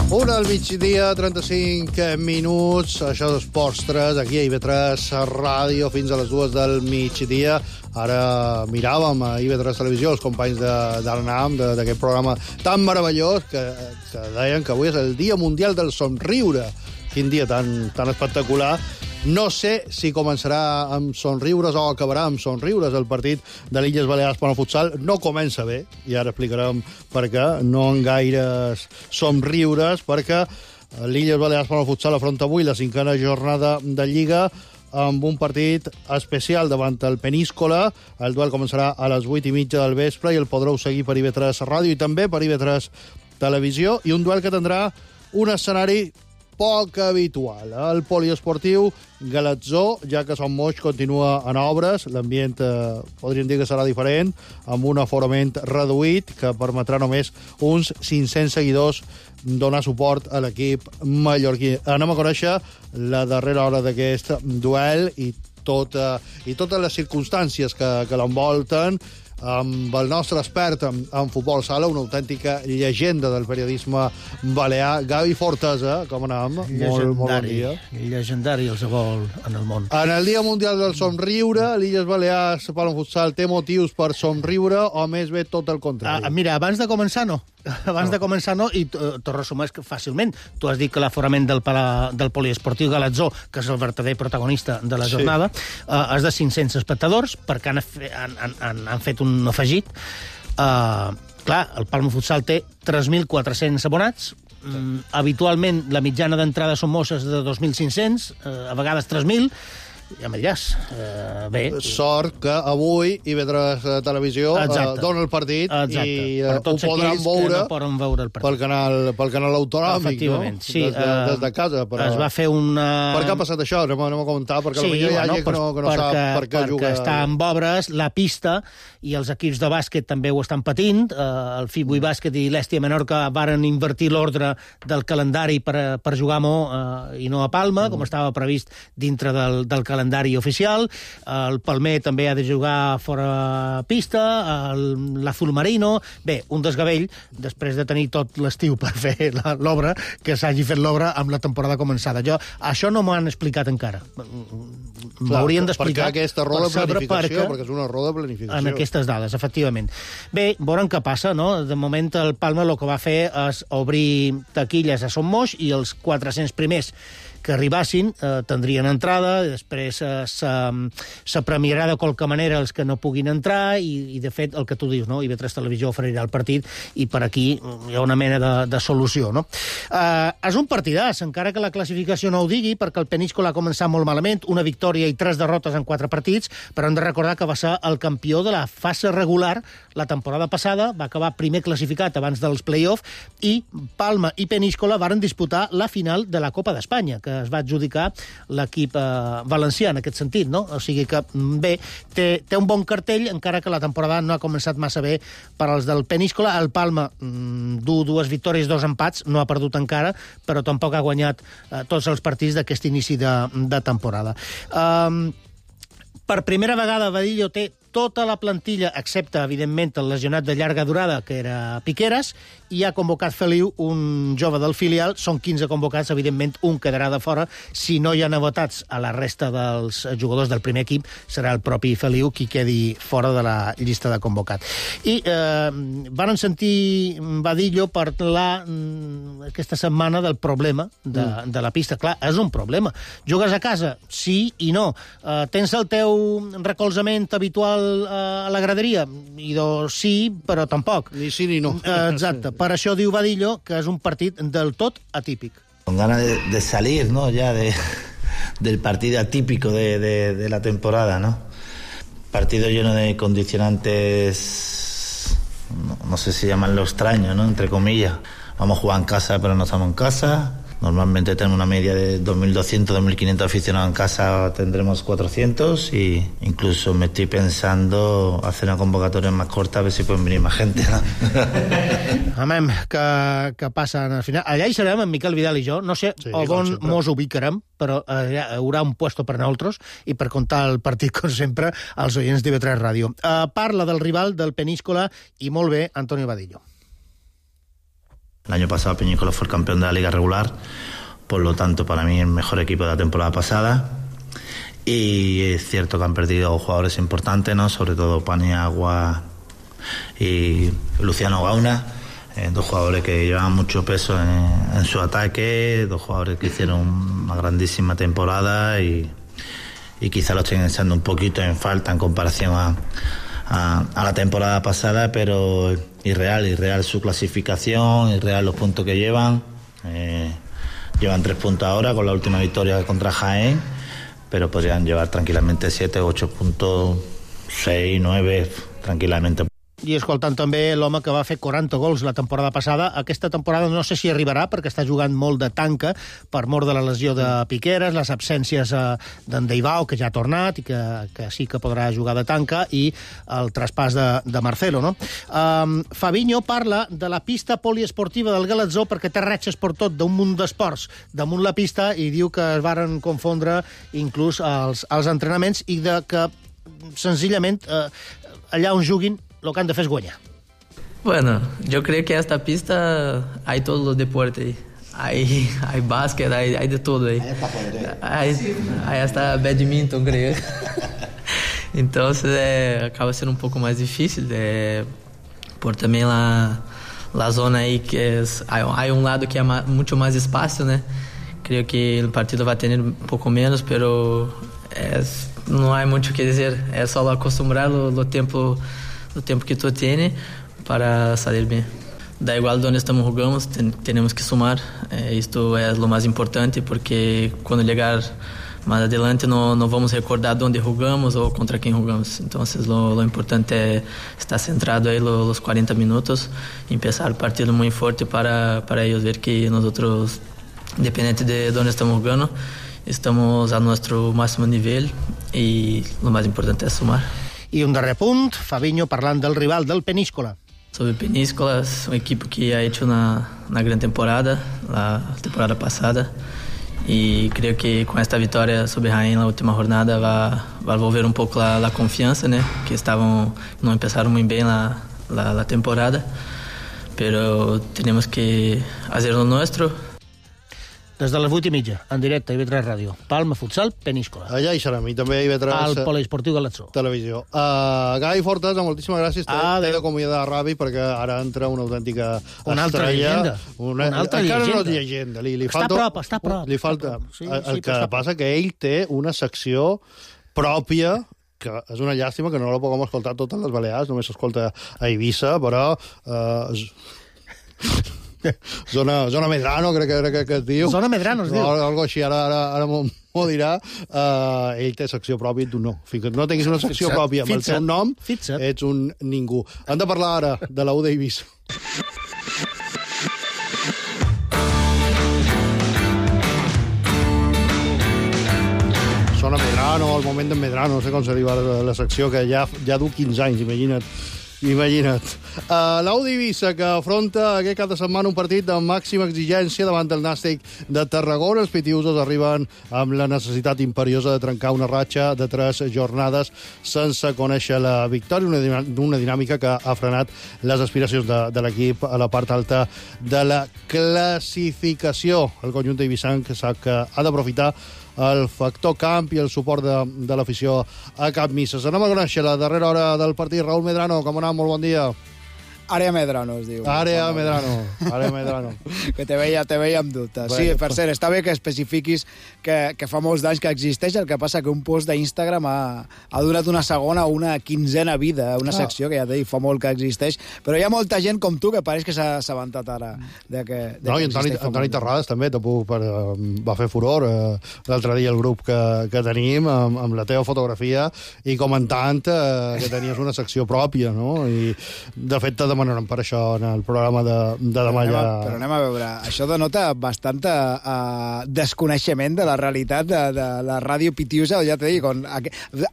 Una al migdia, trenta-cinc minuts, això d'Esports tres, aquí a I B tres Ràdio, fins a les dues del migdia. Ara miràvem a I B tres Televisió els companys de, de l'ANAM, d'aquest programa tan meravellós, que, que deien que avui és el Dia Mundial del Somriure. Quin dia tan, tan espectacular. No sé si començarà amb somriures o acabarà amb somriures el partit de l'Illes Balears per al futsal. No comença bé, i ara explicarem per què. No en gaires somriures, perquè l'Illes Balears per al futsal afronta avui la cinquena jornada de Lliga amb un partit especial davant el Peníscola. El duel començarà a les vuit i mitja del vespre i el podreu seguir per I B tres Ràdio i també per I B tres Televisió. I un duel que tindrà un escenari poc habitual. El poliesportiu Galatzó, ja que Son Moix continua en obres, l'ambient eh, podríem dir que serà diferent, amb un aforament reduït que permetrà només uns cinc-cents seguidors donar suport a l'equip mallorquí. Anem a conèixer la darrera hora d'aquest duel i, tota, i totes les circumstàncies que, que l'envolten amb el nostre expert en, en futbol sala, una autèntica llegenda del periodisme balear, Gavi Fortesa. Com anem? Molt, molt bon dia. Llegendari el vol en el món. En el Dia Mundial del Somriure, l'Illes Balears Pal Futsal té motius per somriure o més bé tot el contrari? Ah, mira, abans de començar no. Abans no. de començar no, i t'ho resumeix fàcilment. Tu has dit que l'aforament del, del poliesportiu Galatzó, que és el verdader protagonista de la jornada, sí. eh, és de cinc-cents espectadors, perquè han, han, han, han fet un afegit. Uh, clar, el Palma Futsal té tres mil quatre-cents abonats. Mm, habitualment la mitjana d'entrada són mosses de dos mil cinc-cents, uh, a vegades tres mil. Ja me diràs. Uh, bé. Sort que avui I B tres Televisió uh, dona el partit. Exacte. I uh, ho podran veure, no veure el pel canal, pel canal autonòmic, efectivament, no? Sí, des, de, des de casa. Però... Es va fer una... Per què ha passat això? Anem, anem a comentar, perquè sí, potser hi ha bueno, gent que no, que no perquè, sap per què perquè juga. Està en obres la pista i els equips de bàsquet també ho estan patint. Uh, el Fibui Bàsquet i l'Èstia Menorca varen invertir l'ordre del calendari per, per jugar a Mo uh, i no a Palma, mm. com estava previst dintre del, del calendari oficial. El Palmer també ha de jugar fora pista, l'Azul Marino... Bé, un desgavell, després de tenir tot l'estiu per fer l'obra, que s'hagi fet l'obra amb la temporada començada. Jo, això no m'ho han explicat encara. M'haurien d'explicar... Perquè aquesta roda de planificació, perquè, perquè és una roda de planificació. En aquestes dades, efectivament. Bé, veurem què passa, no? De moment el Palma el que va fer és obrir taquilles a Son Moix i els quatre-cents primers que arribassin eh, tindrien entrada, i després eh, se premiarà de qualque manera els que no puguin entrar i, i de fet, el que tu dius, no? I B tres Televisió oferirà el partit i per aquí hi ha una mena de, de solució, no? Eh, és un partidàs, encara que la classificació no ho digui, perquè el Peníscola ha començat molt malament, una victòria i tres derrotes en quatre partits, però hem de recordar que va ser el campió de la fase regular la temporada passada, va acabar primer classificat abans dels play-off, i Palma i Peníscola varen disputar la final de la Copa d'Espanya, que es va adjudicar l'equip eh, valencià en aquest sentit, no? O sigui que, bé, té, té un bon cartell, encara que la temporada no ha començat massa bé per als del Peníscola. El Palma mm, du dues victòries, dos empats, no ha perdut encara, però tampoc ha guanyat eh, tots els partits d'aquest inici de, de temporada. Um, per primera vegada Vadillo té tota la plantilla, excepte, evidentment, el lesionat de llarga durada, que era Piqueras, i ha convocat Feliu, un jove del filial. Són quinze convocats, evidentment, un quedarà de fora. Si no hi ha novetats a la resta dels jugadors del primer equip, serà el propi Feliu qui quedi fora de la llista de convocats. I eh, van sentir Vadillo parlar mm, aquesta setmana del problema de, mm. de la pista. Clar, és un problema. Jugues a casa? Sí i no. Eh, tens el teu recolzament habitual a la graderia? I doncs sí, però tampoc. Ni sí ni no. Eh, exacte. Per això diu Vadillo que és un partit del tot atípic. Con ganas de, de salir, ¿no? Ya de, del partido atípico de, de, de la temporada, ¿no? Partido lleno de condicionantes, no, no sé si llaman lo extraño, ¿no? Entre comillas. Vamos a jugar en casa, pero no estamos en casa. Normalmente tenemos una media de dos mil doscientos, dos mil quinientos aficionados en casa, tendremos cuatrocientos, y incluso me estoy pensando hacer una convocatoria más corta a ver si pueden venir más gente, ¿no? Amem, que, que passa al final. Allà hi serem, en Miquel Vidal i jo. No sé sí, on mos ubicarem, però allà hi haurà un puesto per nosaltres i per contar el partit, com sempre, als oients d'I V tres Ràdio. Uh, parla del rival del Peníscola i molt bé, Antonio Vadillo. El año pasado Peñíscola fue el campeón de la liga regular, por lo tanto para mí el mejor equipo de la temporada pasada, y es cierto que han perdido jugadores importantes, ¿no? Sobre todo Paniagua y Luciano Gauna, eh, dos jugadores que llevaban mucho peso en, en su ataque, dos jugadores que hicieron una grandísima temporada y, y quizá lo estén echando un poquito en falta en comparación a A, a la temporada pasada, pero irreal, irreal su clasificación, irreal los puntos que llevan. Eh, llevan tres puntos ahora con la última victoria contra Jaén, pero podrían llevar tranquilamente siete, ocho puntos, seis, nueve, tranquilamente. I escoltant també l'home que va fer quaranta gols la temporada passada. Aquesta temporada no sé si arribarà, perquè està jugant molt de tanca per mort de la lesió de Piqueras, les absències d'en Deibao, que ja ha tornat i que, que sí que podrà jugar de tanca, i el traspàs de, de Marcelo, no? Um, Fabinho parla de la pista poliesportiva del Galatzó perquè té ratxes per tot d'un munt d'esports damunt la pista, i diu que es varen confondre inclús els, els entrenaments i de que senzillament eh, allà on juguin lo que han de fer es guanyar. Bueno, yo creo que esta pista hay todos los deportes. Hay, hay básquet, hay, hay de todo ahí. Hay, hay hasta badminton, creo. Entonces eh, acaba siendo un poco más difícil de, por también la, la zona ahí que es, hay, hay un lado que hay más, mucho más espacio, ¿no? Creo que el partido va a tener un poco menos, pero es, no hay mucho que decir. Es solo acostumbrar lo, lo tiempo o tiempo que tú tienes para salir bien. Da igual donde estamos jugando, ten, tenemos que sumar. Eh, esto es lo más importante, porque cuando llegar más adelante no, no vamos a recordar dónde jugamos o contra quién jugamos. Entonces lo, lo importante es estar centrado ahí los, los cuarenta minutos y empezar el partido muy fuerte para, para ellos ver que nosotros, independiente de dónde estamos jugando, estamos a nuestro máximo nivel, y lo más importante es sumar. I un darrer punt, Fabinho parlant del rival del Peníscola. Sobre Peníscola, es un equipo que ha hecho una, una gran temporada, la temporada pasada, y creo que con esta victoria sobre Jaén en la última jornada va, va a volver un poco la, la confianza, ¿no? Que estaban, no empezaron muy bien la, la, la temporada, pero tenemos que hacer lo nuestro. Des de les vuit i mitja, en directe, I V tres Ràdio. Palma, futsal, Peníscola. Allà hi serem, i també I V tres... Al poliesportiu Galatzó. Televisió. Uh, Gai Fortes, moltíssimes gràcies. Ah, T'he d'acomiadar ràpid, perquè ara entra una autèntica una altra estrella. Llegenda. Una, una altra encara llegenda. no és llegenda. Li, li està falta, a prop, està a prop. Li falta. Sí, el sí, que passa que ell té una secció pròpia, que és una llàstima que no la puguem escoltar a totes les Balears, només s'escolta a Eivissa, però... Uh, Zona, zona Medrano, crec que, que, que es diu. Zona Medrano es diu. No, algo així, ara, ara, ara m'ho dirà. Uh, ell té secció pròpia i tu no. Fins que no tinguis una secció Fitza. pròpia amb el seu nom, Fitza. ets un ningú. Hem de parlar ara de la U d'Eivissa. Medrano, el moment d'en Medrano, no sé com se diu ara la secció, que ja, ja du quinze anys, imagina't. Imagina't. Uh, L'Audi Eivissa, que afronta aquest cap de setmana un partit de màxima exigència davant del Nàstic de Tarragona. Els pitiusos arriben amb la necessitat imperiosa de trencar una ratxa de tres jornades sense conèixer la victòria, una, una dinàmica que ha frenat les aspiracions de, de l'equip a la part alta de la classificació. El conjunt d'Eivissanc sap que ha d'aprofitar el factor camp i el suport de, de l'afició a Cap Misses. Anem a conèixer la darrera hora del partit. Raúl Medrano, com anem? Molt bon dia. Àrea Medrano, es diu. Àrea Medrano. Àrea Medrano. Que te veia, te veia amb dubtes. Sí, per cert, està bé que especifiquis que, que fa molts d'anys que existeix, el que passa que un post d'Instagram ha, ha donat una segona o una quinzena vida, una ah. secció que ja t'he dit, fa molt que existeix, però hi ha molta gent com tu que pareix que s'ha assabentat ara de que, de no, que i Antoni, Antoni Terrades també tampoc per, va fer furor eh, l'altre dia el grup que, que tenim amb, amb la teva fotografia i comentant eh, que tenies una secció pròpia, no? I de fet t'ha demanaran per això en el programa de, de demà. Però anem, a, ja... però anem a veure, això denota bastant uh, desconeixement de la realitat de, de la ràdio pitiusa, ja t'he dit, on,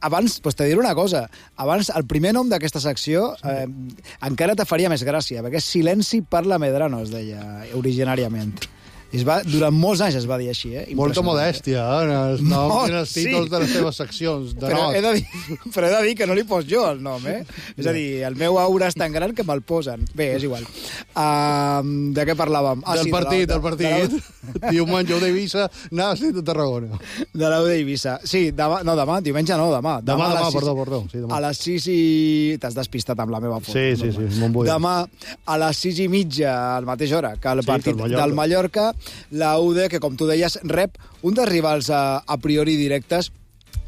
abans, pues te diré una cosa, abans el primer nom d'aquesta secció eh, encara te faria més gràcia, perquè és Silenci parla Medrano, es deia originàriament. Es va, durant molts anys es va dir així, eh? Molta modèstia, eh? En els noms no, i els títols sí. de les teves seccions. De però, he de dir, però he de dir que no li pos jo el nom, eh? És a dir, el meu aura és tan gran que me'l posen. Bé, és igual. Uh, de què parlàvem? Ah, del sí, partit, de la, del partit. De la... Diumenge d'Eivissa, Nàstic de Tarragona. De l'Au d'Eivissa. Sí, demà, no, demà, diumenge no, demà. Demà, demà, demà perdó, perdó. Sí, demà. A les sis i... T'has despistat amb la meva foto. Sí, sí, sí, me'n vull. Demà, a les sis i mitja, a la mateixa hora, que el sí, partit que el del Mallorca, la U D, que com tu deies, rep un dels rivals a, a priori directes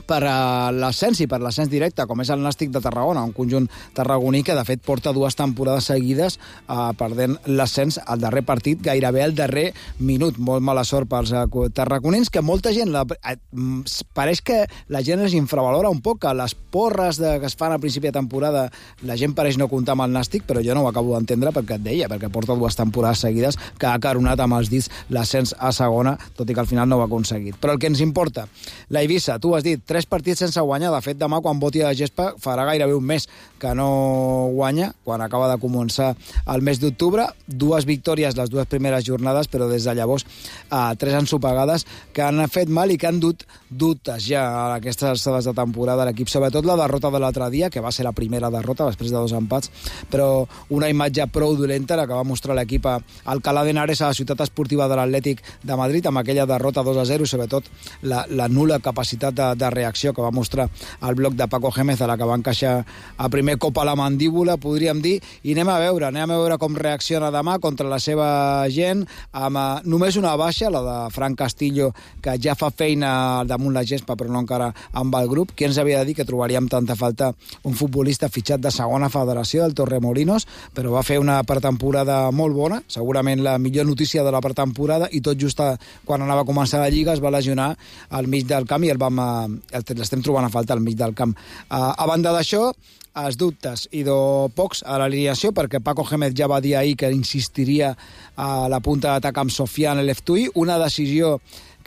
per a l'ascens i per l'ascens directe, com és el Nàstic de Tarragona, un conjunt tarragoní que, de fet, porta dues temporades seguides eh, perdent l'ascens al darrer partit, gairebé al darrer minut. Molt mala sort pels eh, tarragonins, que molta gent... La, eh, pareix que la gent es infravalora un poc, que les porres de, que es fan a principi de temporada, la gent pareix no comptar amb el Nàstic, però jo no ho acabo d'entendre perquè et deia, perquè porta dues temporades seguides que ha caronat amb els dits l'ascens a segona, tot i que al final no ho ha aconseguit. Però el que ens importa, la Eivissa, tu has dit, tres partits sense guanyar. De fet, demà, quan voti a la gespa, farà gairebé un mes que no guanya, quan acaba de començar el mes d'octubre. Dues victòries les dues primeres jornades, però des de llavors eh, tres ensopegades que han fet mal i que han dut dubtes ja a aquestes alçades de temporada a l'equip. Sobretot la derrota de l'altre dia, que va ser la primera derrota després de dos empats, però una imatge prou dolenta la que va mostrar l'equip a Alcalá de Henares, a la ciutat esportiva de l'Atlètic de Madrid, amb aquella derrota dos a zero, sobretot la, la nul·la capacitat de, de reacció que va mostrar el bloc de Paco Gémez, a la que va encaixar a primer cop a la mandíbula, podríem dir, i anem a veure, anem a veure com reacciona demà contra la seva gent, amb uh, només una baixa, la de Fran Castillo, que ja fa feina damunt la gespa, però no encara amb el grup. Qui ens havia de dir que trobaríem tanta falta un futbolista fitxat de segona federació, del Torremolinos, però va fer una pretemporada molt bona, segurament la millor notícia de la pretemporada, i tot just quan anava a començar la Lliga es va lesionar al mig del camp i el vam l'estem trobant a falta al mig del camp. Uh, a banda d'això, els dubtes i de pocs a l'alineació, perquè Paco Gémez ja va dir ahir que insistiria a la punta d'atac amb Sofian El Eftuí, una decisió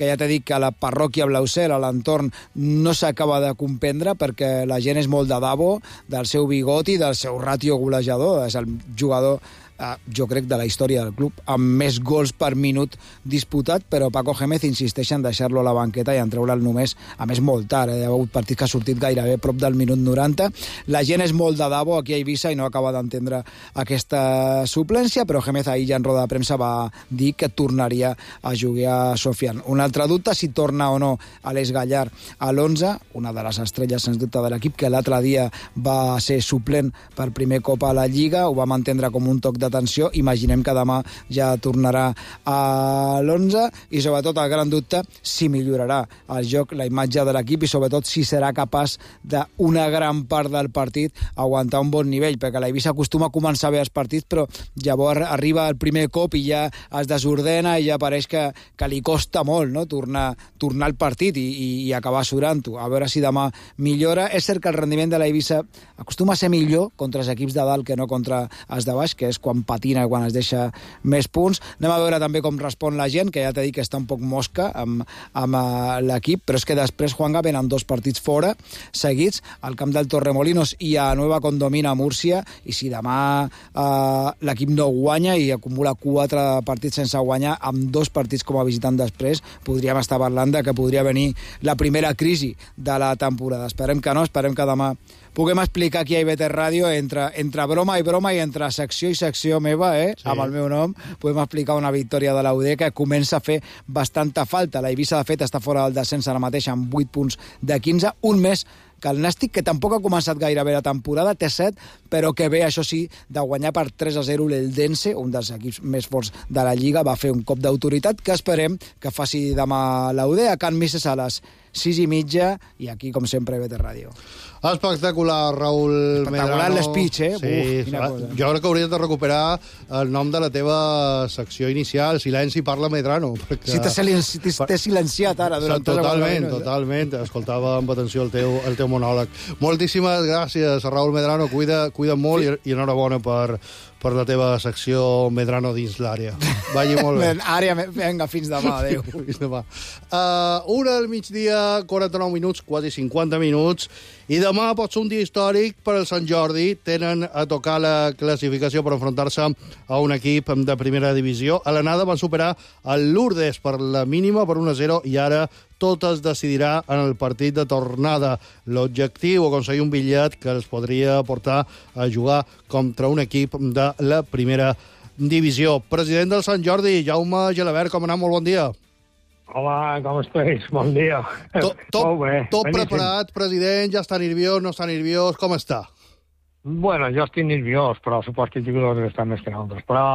que ja t'he dit que a la parròquia Blaucel, a l'entorn, no s'acaba de comprendre, perquè la gent és molt de dabo del seu bigoti, del seu ràtio golejador. És el jugador, eh, jo crec, de la història del club, amb més gols per minut disputat, però Paco Gémez insisteix en deixar-lo a la banqueta i en treure'l només, a més molt tard, eh? Hi ha hagut partits que ha sortit gairebé prop del minut noranta. La gent és molt de dabo aquí a Eivissa i no acaba d'entendre aquesta suplència, però Gémez ahir ja en roda de premsa va dir que tornaria a jugar a Sofian. Un altre dubte, si torna o no Aleix Gallar a l'onze, una de les estrelles sens dubte de l'equip, que l'altre dia va ser suplent per primer cop a la Lliga, ho vam entendre com un toc d'atenció. Imaginem que demà ja tornarà a l'onze, i sobretot el gran dubte, si millorarà el joc, la imatge de l'equip, i sobretot si serà capaç d'una gran part del partit aguantar un bon nivell, perquè l'Eivissa acostuma a començar bé els partits, però llavors arriba el primer cop i ja es desordena i ja pareix que, que li costa molt, no? tornar, tornar al partit i, i, i acabar surant-ho. A veure si demà millora. És cert que el rendiment de l'Eivissa acostuma a ser millor contra els equips de dalt que no contra els de baix, que és quan quan patina i quan es deixa més punts. Anem a veure també com respon la gent, que ja t'he dit que està un poc mosca amb, amb uh, l'equip, però és que després, Juanga, venen dos partits fora, seguits, al camp del Torremolinos i a Nueva Condomina, a Múrcia, i si demà uh, l'equip no guanya i acumula quatre partits sense guanyar, amb dos partits com a visitant després, podríem estar parlant de que podria venir la primera crisi de la temporada. Esperem que no, esperem que demà puguem explicar aquí a I B T Ràdio, entre, entre broma i broma i entre secció i secció meva, eh, sí. amb el meu nom, podem explicar una victòria de l'U D que comença a fer bastanta falta. La Eivissa, de fet, està fora del descens ara mateix amb vuit punts de quinze, un més que el Nàstic, que tampoc ha començat gaire bé la temporada, té set, però que ve, això sí, de guanyar per tres a zero l'Eldense, un dels equips més forts de la Lliga, va fer un cop d'autoritat que esperem que faci demà l'U D a Can Misses a les sis i mitja, i aquí, com sempre, I B T Ràdio. Espectacular, Raül Medrano. Espectacular l'espeech, eh? Sí, Uf, quina cosa. Jo crec que hauries de recuperar el nom de la teva secció inicial, Silenci parla Medrano. Perquè... Si t'he silenci... silenciat ara. Durant totalment, totalment. Escoltava amb atenció el teu, el teu monòleg. Moltíssimes gràcies, Raül Medrano. Cuida, cuida molt sí. i, i enhorabona per, per la teva secció Medrano dins l'àrea. Vagi molt bé. Àrea, vinga, fins demà, adéu. Fins demà. Uh, una del migdia, quaranta-nou minuts, quasi cinquanta minuts, i demà pot ser un dia històric per al Sant Jordi. Tenen a tocar la classificació per enfrontar-se a un equip de primera divisió. A l'anada van superar el Lourdes per la mínima, per un a zero, i ara tot es decidirà en el partit de tornada. L'objectiu, aconseguir un bitllet que els podria portar a jugar contra un equip de la primera divisió. President del Sant Jordi, Jaume Gelabert, com anem? Molt bon dia. Hola, com estàs? Bon dia. Tot, tot, Molt bé. tot Beníssim. preparat, president? Ja està nerviós, no està nerviós? Com està? Bueno, jo estic nerviós, però supos que els jugadors estan més que nosaltres. Però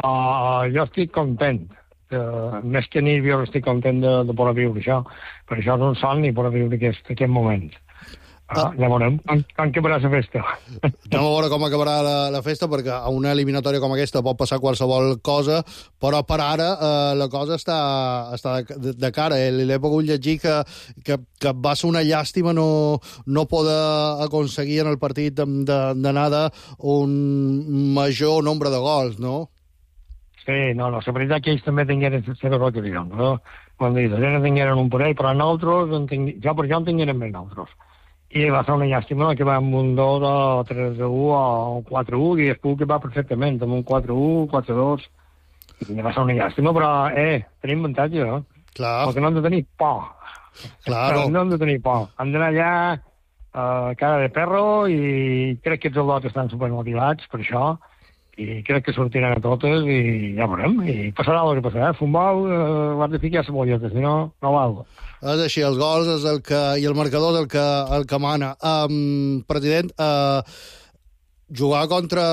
jo estic content. Uh, més que nerviós, estic content de, de poder viure això. Per això és un somni poder viure aquest, aquest moment. Uh, ja veurem com, com acabarà la festa. Anem a veure com acabarà la, la festa, perquè a una eliminatòria com aquesta pot passar qualsevol cosa, però per ara eh, la cosa està, està de, de cara. Eh? L'he pogut llegir que, que, que va ser una llàstima no, no poder aconseguir en el partit d'anada un major nombre de gols, no? Sí, no, no, la veritat que ells també tingueren zero roques, no? Quan dius, ells tingueren un parell, però nosaltres, en tinc... jo per jo en tingueren més nosaltres. I va ser una llàstima que va amb un dos o tres a u o quatre a u, i després que va perfectament, amb un quatre a u, quatre a dos. I va ser una llàstima, però, eh, tenim avantatge, no? Clar. Perquè no hem de tenir por. Claro. No hem de tenir por. Hem d'anar allà, uh, cara de perro, i crec que els al·lots estan supermotivats per això, i crec que sortiran a totes i ja veurem, i passarà el que passarà. Futbol, eh, l'has de ficar a la bolleta, si no, no val. És així, els gols és el que, i el marcador és el que, el que mana. Um, president, uh, jugar contra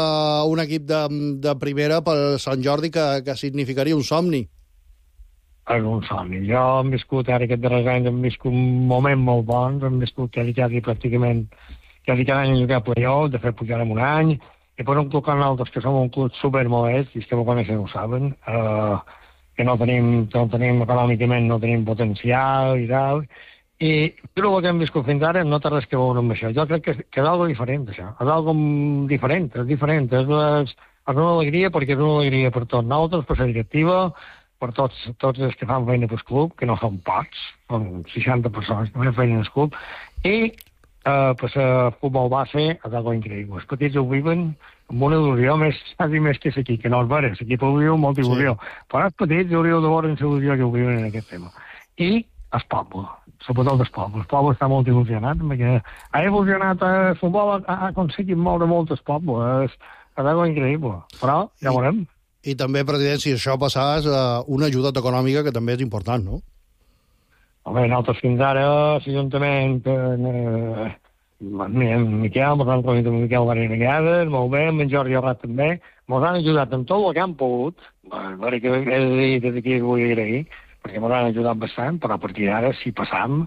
un equip de, de primera pel Sant Jordi que, que significaria un somni. És un somni. Jo hem viscut ara aquests darrers anys, hem viscut un moment molt bon, hem viscut quasi, quasi pràcticament quasi cada any jugar a playoff, de fet pujar en un any, i per un club com nosaltres, que som un club supermodest, i els que ho coneixen ho saben, uh, que no tenim, no tenim econòmicament, no tenim potencial i tal, i però el que hem viscut fins ara no té res que veure amb això. Jo crec que, que és algo diferent, això. És algo diferent, és diferent. És, és, és una alegria, perquè és una alegria per tots nosaltres, per la directiva, per tots, tots els que fan feina pel club, que no són pocs, són seixanta persones que fan feina al club, i Uh, pues el uh, futbol base és algo increïble. Els petits ho viven amb una il·lusió més, quasi més que aquí, que no és vera. L'equip ho viu amb molta il·lusió. Sí. Però els petits hauríeu de veure la il·lusió que ho viuen en aquest tema. I el poble, sobretot el poble. El poble està molt il·lusionat, perquè ha evolucionat el futbol, ha, ha aconseguit moure molt el poble. És, és algo increïble. Però ja veurem. I, i també, president, si això passàs, uh, una ajuda econòmica que també és important, no? Home, nosaltres fins ara, l'Ajuntament, eh, en Miquel, ens han reunit amb Miquel diverses vegades, molt bé, amb en Jordi Arrat també, ens han ajudat amb tot el que han pogut, perquè he de dir, des d'aquí vull agrair, perquè ens han ajudat bastant, però a partir d'ara, si passam,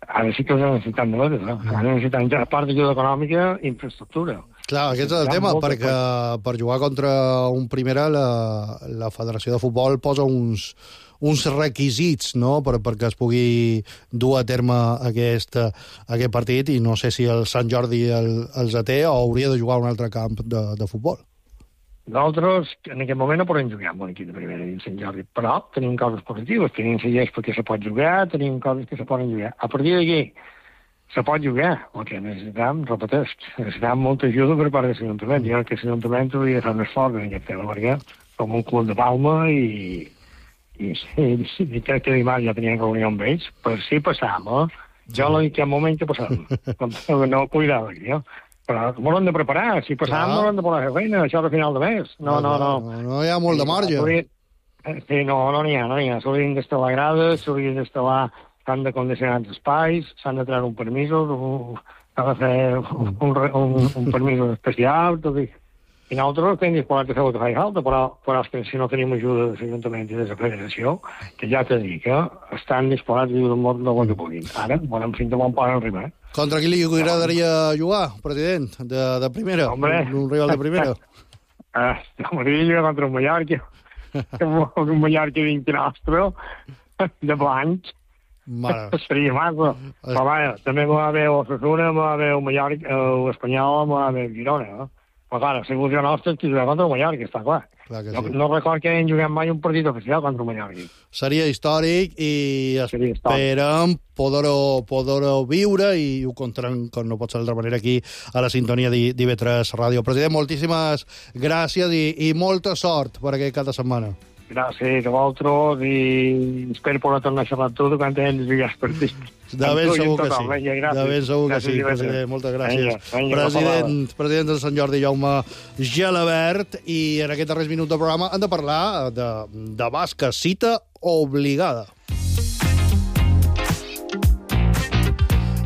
ara sí que us necessitem de veure, no? Ara necessitem, a part d'ajuda econòmica, infraestructura. Clar, aquest és el tema, perquè per jugar contra un primera, la, la Federació de Futbol posa uns... uns requisits, no?, per, perquè es pugui dur a terme aquest, aquest partit, i no sé si el Sant Jordi el, els té o hauria de jugar a un altre camp de, de futbol. Nosaltres, en aquest moment, no podem jugar amb un equip de primera dins Sant Jordi, però tenim coses positives, tenim cellers perquè se pot jugar, tenim coses que se poden jugar. A partir d'aquí, se pot jugar, el que necessitam, repeteix, necessitam molta ajuda per part de l'Ajuntament. Jo crec que l'Ajuntament hauria de fer un esforç en aquest tema, perquè som un club de Palma i, i, i, i crec que dimarts ja teníem reunió amb ells, per si passam, eh? Jo no dic que en moment que passam, no cuidava aquí, eh? Però m'ho hem de preparar, si passam no hem de posar a feina, això és a final de mes. No, no, no. No, no hi ha molt de marge. Sí, no, no n'hi ha, no n'hi ha. S'haurien d'instal·lar grades, s'haurien d'instal·lar, s'han de condicionar els espais, s'han de treure un permís, s'ha de fer un, un, un permís especial, tot i... I nosaltres estem disposats a fer el que faci falta, però, però és que si no tenim ajuda de l'Ajuntament i de la Federació, que ja t'he dit que estan disposats a ajudar molt del que puguin. Ara, volem fins a on poden arribar. Contra qui li agradaria jugar, president, de, de primera? Hombre. Un, un rival de primera? Ah, m'agradaria jugar contra un Mallorca. Un Mallorca dins nostre, de blancs. Mare. Seria massa. Però vaja, també m'ho va haver Osasuna, m'ho va haver un Mallorca, l'Espanyol, m'ho va haver Girona, no? Però clar, la il·lusió nostra és que jugar contra el Mallorca, està clar. clar no, sí. no record que hagin jugat mai un partit oficial contra el Mallorca. Seria històric i Seria esperem poder-ho poder viure i ho contarem, com no pot ser d'altra manera, aquí a la sintonia d'I V tres Ràdio. President, moltíssimes gràcies i, i molta sort per aquest cap de setmana. Gràcies a vosaltres i espero poder tornar a xerrar amb tu quan hem de jugar els partits. De ben segur que sí. De ben segur que sí, president. Moltes gràcies. President, president del Sant Jordi, Jaume Gelabert, i en aquest darrer minut del programa hem de parlar de, de bàsquet, cita obligada.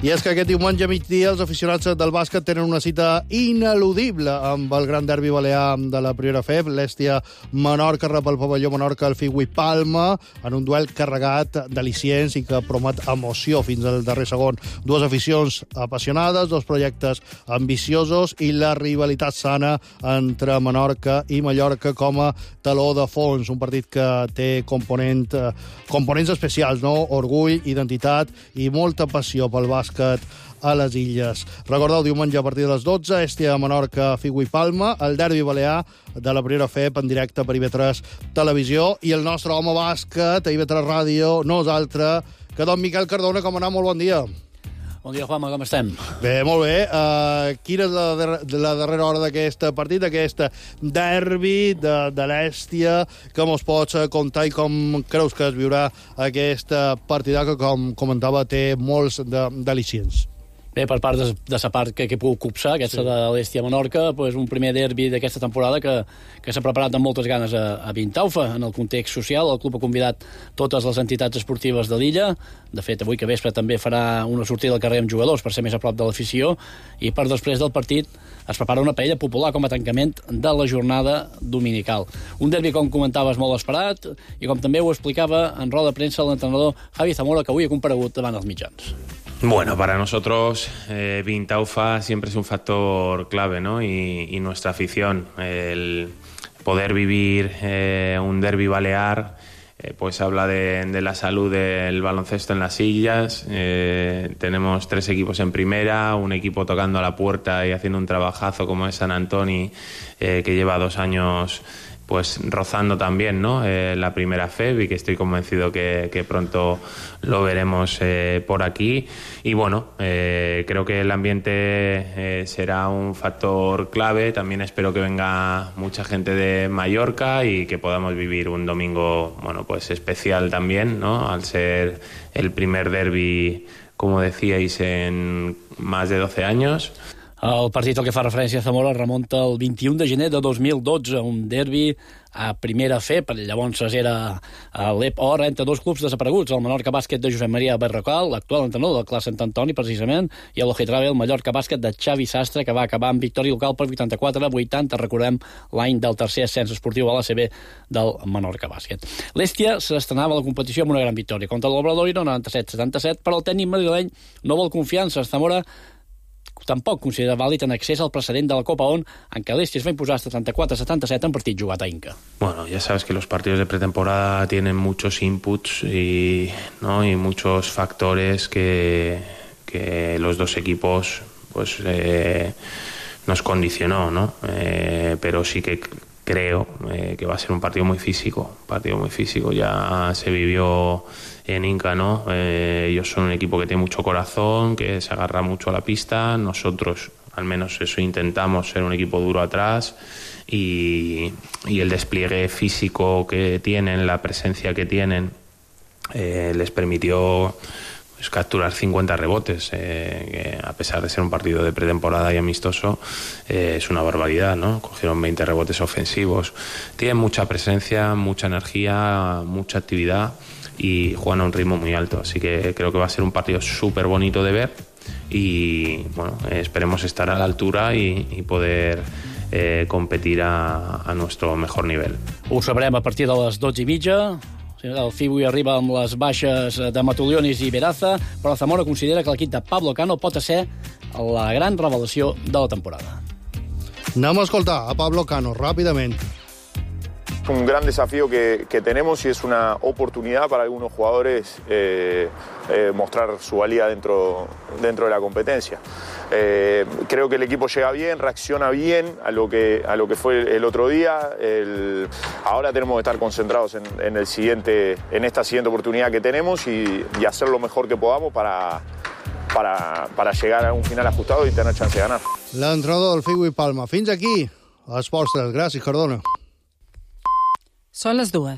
I és que aquest diumenge a migdia els aficionats del bàsquet tenen una cita ineludible amb el gran derbi balear de la Primera F E B. L'Hèstia Menorca rep el pavelló Menorca al Figui Palma en un duel carregat d'al·licients i que promet emoció fins al darrer segon. Dues aficions apassionades, dos projectes ambiciosos i la rivalitat sana entre Menorca i Mallorca com a taló de fons. Un partit que té component, components especials, no? Orgull, identitat i molta passió pel bàsquet a les illes. Recordeu, diumenge a partir de les dotze, Hèstia Menorca, Figui Palma, el derbi balear de la Primera F E B en directe per I V tres Televisió, i el nostre home bàsquet a I V tres Ràdio no és altre que don Miquel Cardona. Com anar? Molt bon dia. Bon dia, Juanma, com estem? Bé, molt bé. Uh, quina és la, der la darrera hora d'aquest partit, d'aquest derbi de, de l'Hèstia? Com us pots contar i com creus que es viurà aquesta partida que, com comentava, té molts d'al·licients? Bé, per part de, de la part que, que puc copsar, aquesta sí. de l'Hèstia Menorca, pues un primer derbi d'aquesta temporada que, que s'ha preparat amb moltes ganes a, a Vintaufa. En el context social, el club ha convidat totes les entitats esportives de l'illa. De fet, avui que vespre també farà una sortida al carrer amb jugadors per ser més a prop de l'afició, i per després del partit es prepara una paella popular com a tancament de la jornada dominical. Un derbi, com comentaves, molt esperat, i com també ho explicava en roda de premsa l'entrenador Javi Zamora, que avui ha comparegut davant els mitjans. Bueno, para nosotros eh, Vintaufa siempre es un factor clave, ¿no? Y, y nuestra afición, el poder vivir eh, un derbi balear, eh, pues habla de, de la salud del baloncesto en las illas. Eh, tenemos tres equipos en primera, un equipo tocando a la puerta y haciendo un trabajazo como es San Antoni, eh, que lleva dos años pues rozando también, ¿no? Eh, la Primera F E B, y que estoy convencido que, que pronto lo veremos eh, por aquí. Y bueno, eh, creo que el ambiente eh, será un factor clave. También espero que venga mucha gente de Mallorca y que podamos vivir un domingo, bueno, pues especial también, ¿no? Al ser el primer derbi, como decíais, en más de doce años. El partit al que fa referència a Zamora remunta el vint-i-un de gener de dos mil dotze, un derbi a Primera F E B. Llavors era a l'E P O R entre dos clubs desapareguts, el Menorca Bàsquet de Josep Maria Berrocal, l'actual entrenador del Clar Sant Antoni, precisament, i el Ojetrabe, el Mallorca Bàsquet de Xavi Sastre, que va acabar amb victòria local per vuitanta-quatre a vuitanta, recordem l'any del tercer ascens esportiu a l'A C B del Menorca Bàsquet. L'Hèstia s'estrenava a la competició amb una gran victòria contra l'Obradoiro, noranta-set setanta-set, però el tècnic madrileny no vol confiança. Zamora tampoc considera vàlid en accés al precedent de la Copa O N, en què l'Hèstia es va imposar setanta-quatre a setanta-set en partit jugat a Inca. Bueno, ya sabes que los partidos de pretemporada tienen muchos inputs y, ¿no? y muchos factores que, que los dos equipos pues eh, nos condicionó, ¿no? Eh, pero sí que creo eh, que va a ser un partido muy físico, partido muy físico. Ya se vivió en Inca, ¿no? Eh, ellos son un equipo que tiene mucho corazón, que se agarra mucho a la pista. Nosotros, al menos eso intentamos, ser un equipo duro atrás. Y, y el despliegue físico que tienen, la presencia que tienen, eh, les permitió pues, capturar cincuenta rebotes, eh, que a pesar de ser un partido de pretemporada y amistoso, eh, es una barbaridad, ¿no? Cogieron veinte rebotes ofensivos. Tienen mucha presencia, mucha energía, mucha actividad y juegan a un ritmo muy alto, así que creo que va a ser un partido súper bonito de ver y bueno, eh, esperemos estar a la altura y, y poder Eh, competir a, a nuestro mejor nivell. Ho sabrem a partir de les dotze i mitja. El F I B avui arriba amb les baixes de Matulionis i Veraza, però Zamora considera que l'equip de Pablo Cano pot ser la gran revelació de la temporada. Anem a escoltar a Pablo Cano ràpidament. Un gran desafío que, que tenemos y es una oportunidad para algunos jugadores eh, eh, mostrar su valía dentro, dentro de la competencia. Eh, creo que el equipo llega bien, reacciona bien a lo que, a lo que fue el otro día. El, ahora tenemos que estar concentrados en, en, el siguiente, en esta siguiente oportunidad que tenemos y, y hacer lo mejor que podamos para, para, para llegar a un final ajustado y tener chance de ganar. L'entrenador del F I B Palma. Fins aquí, Esports tres. Gràcies, Cardona. Són les dues.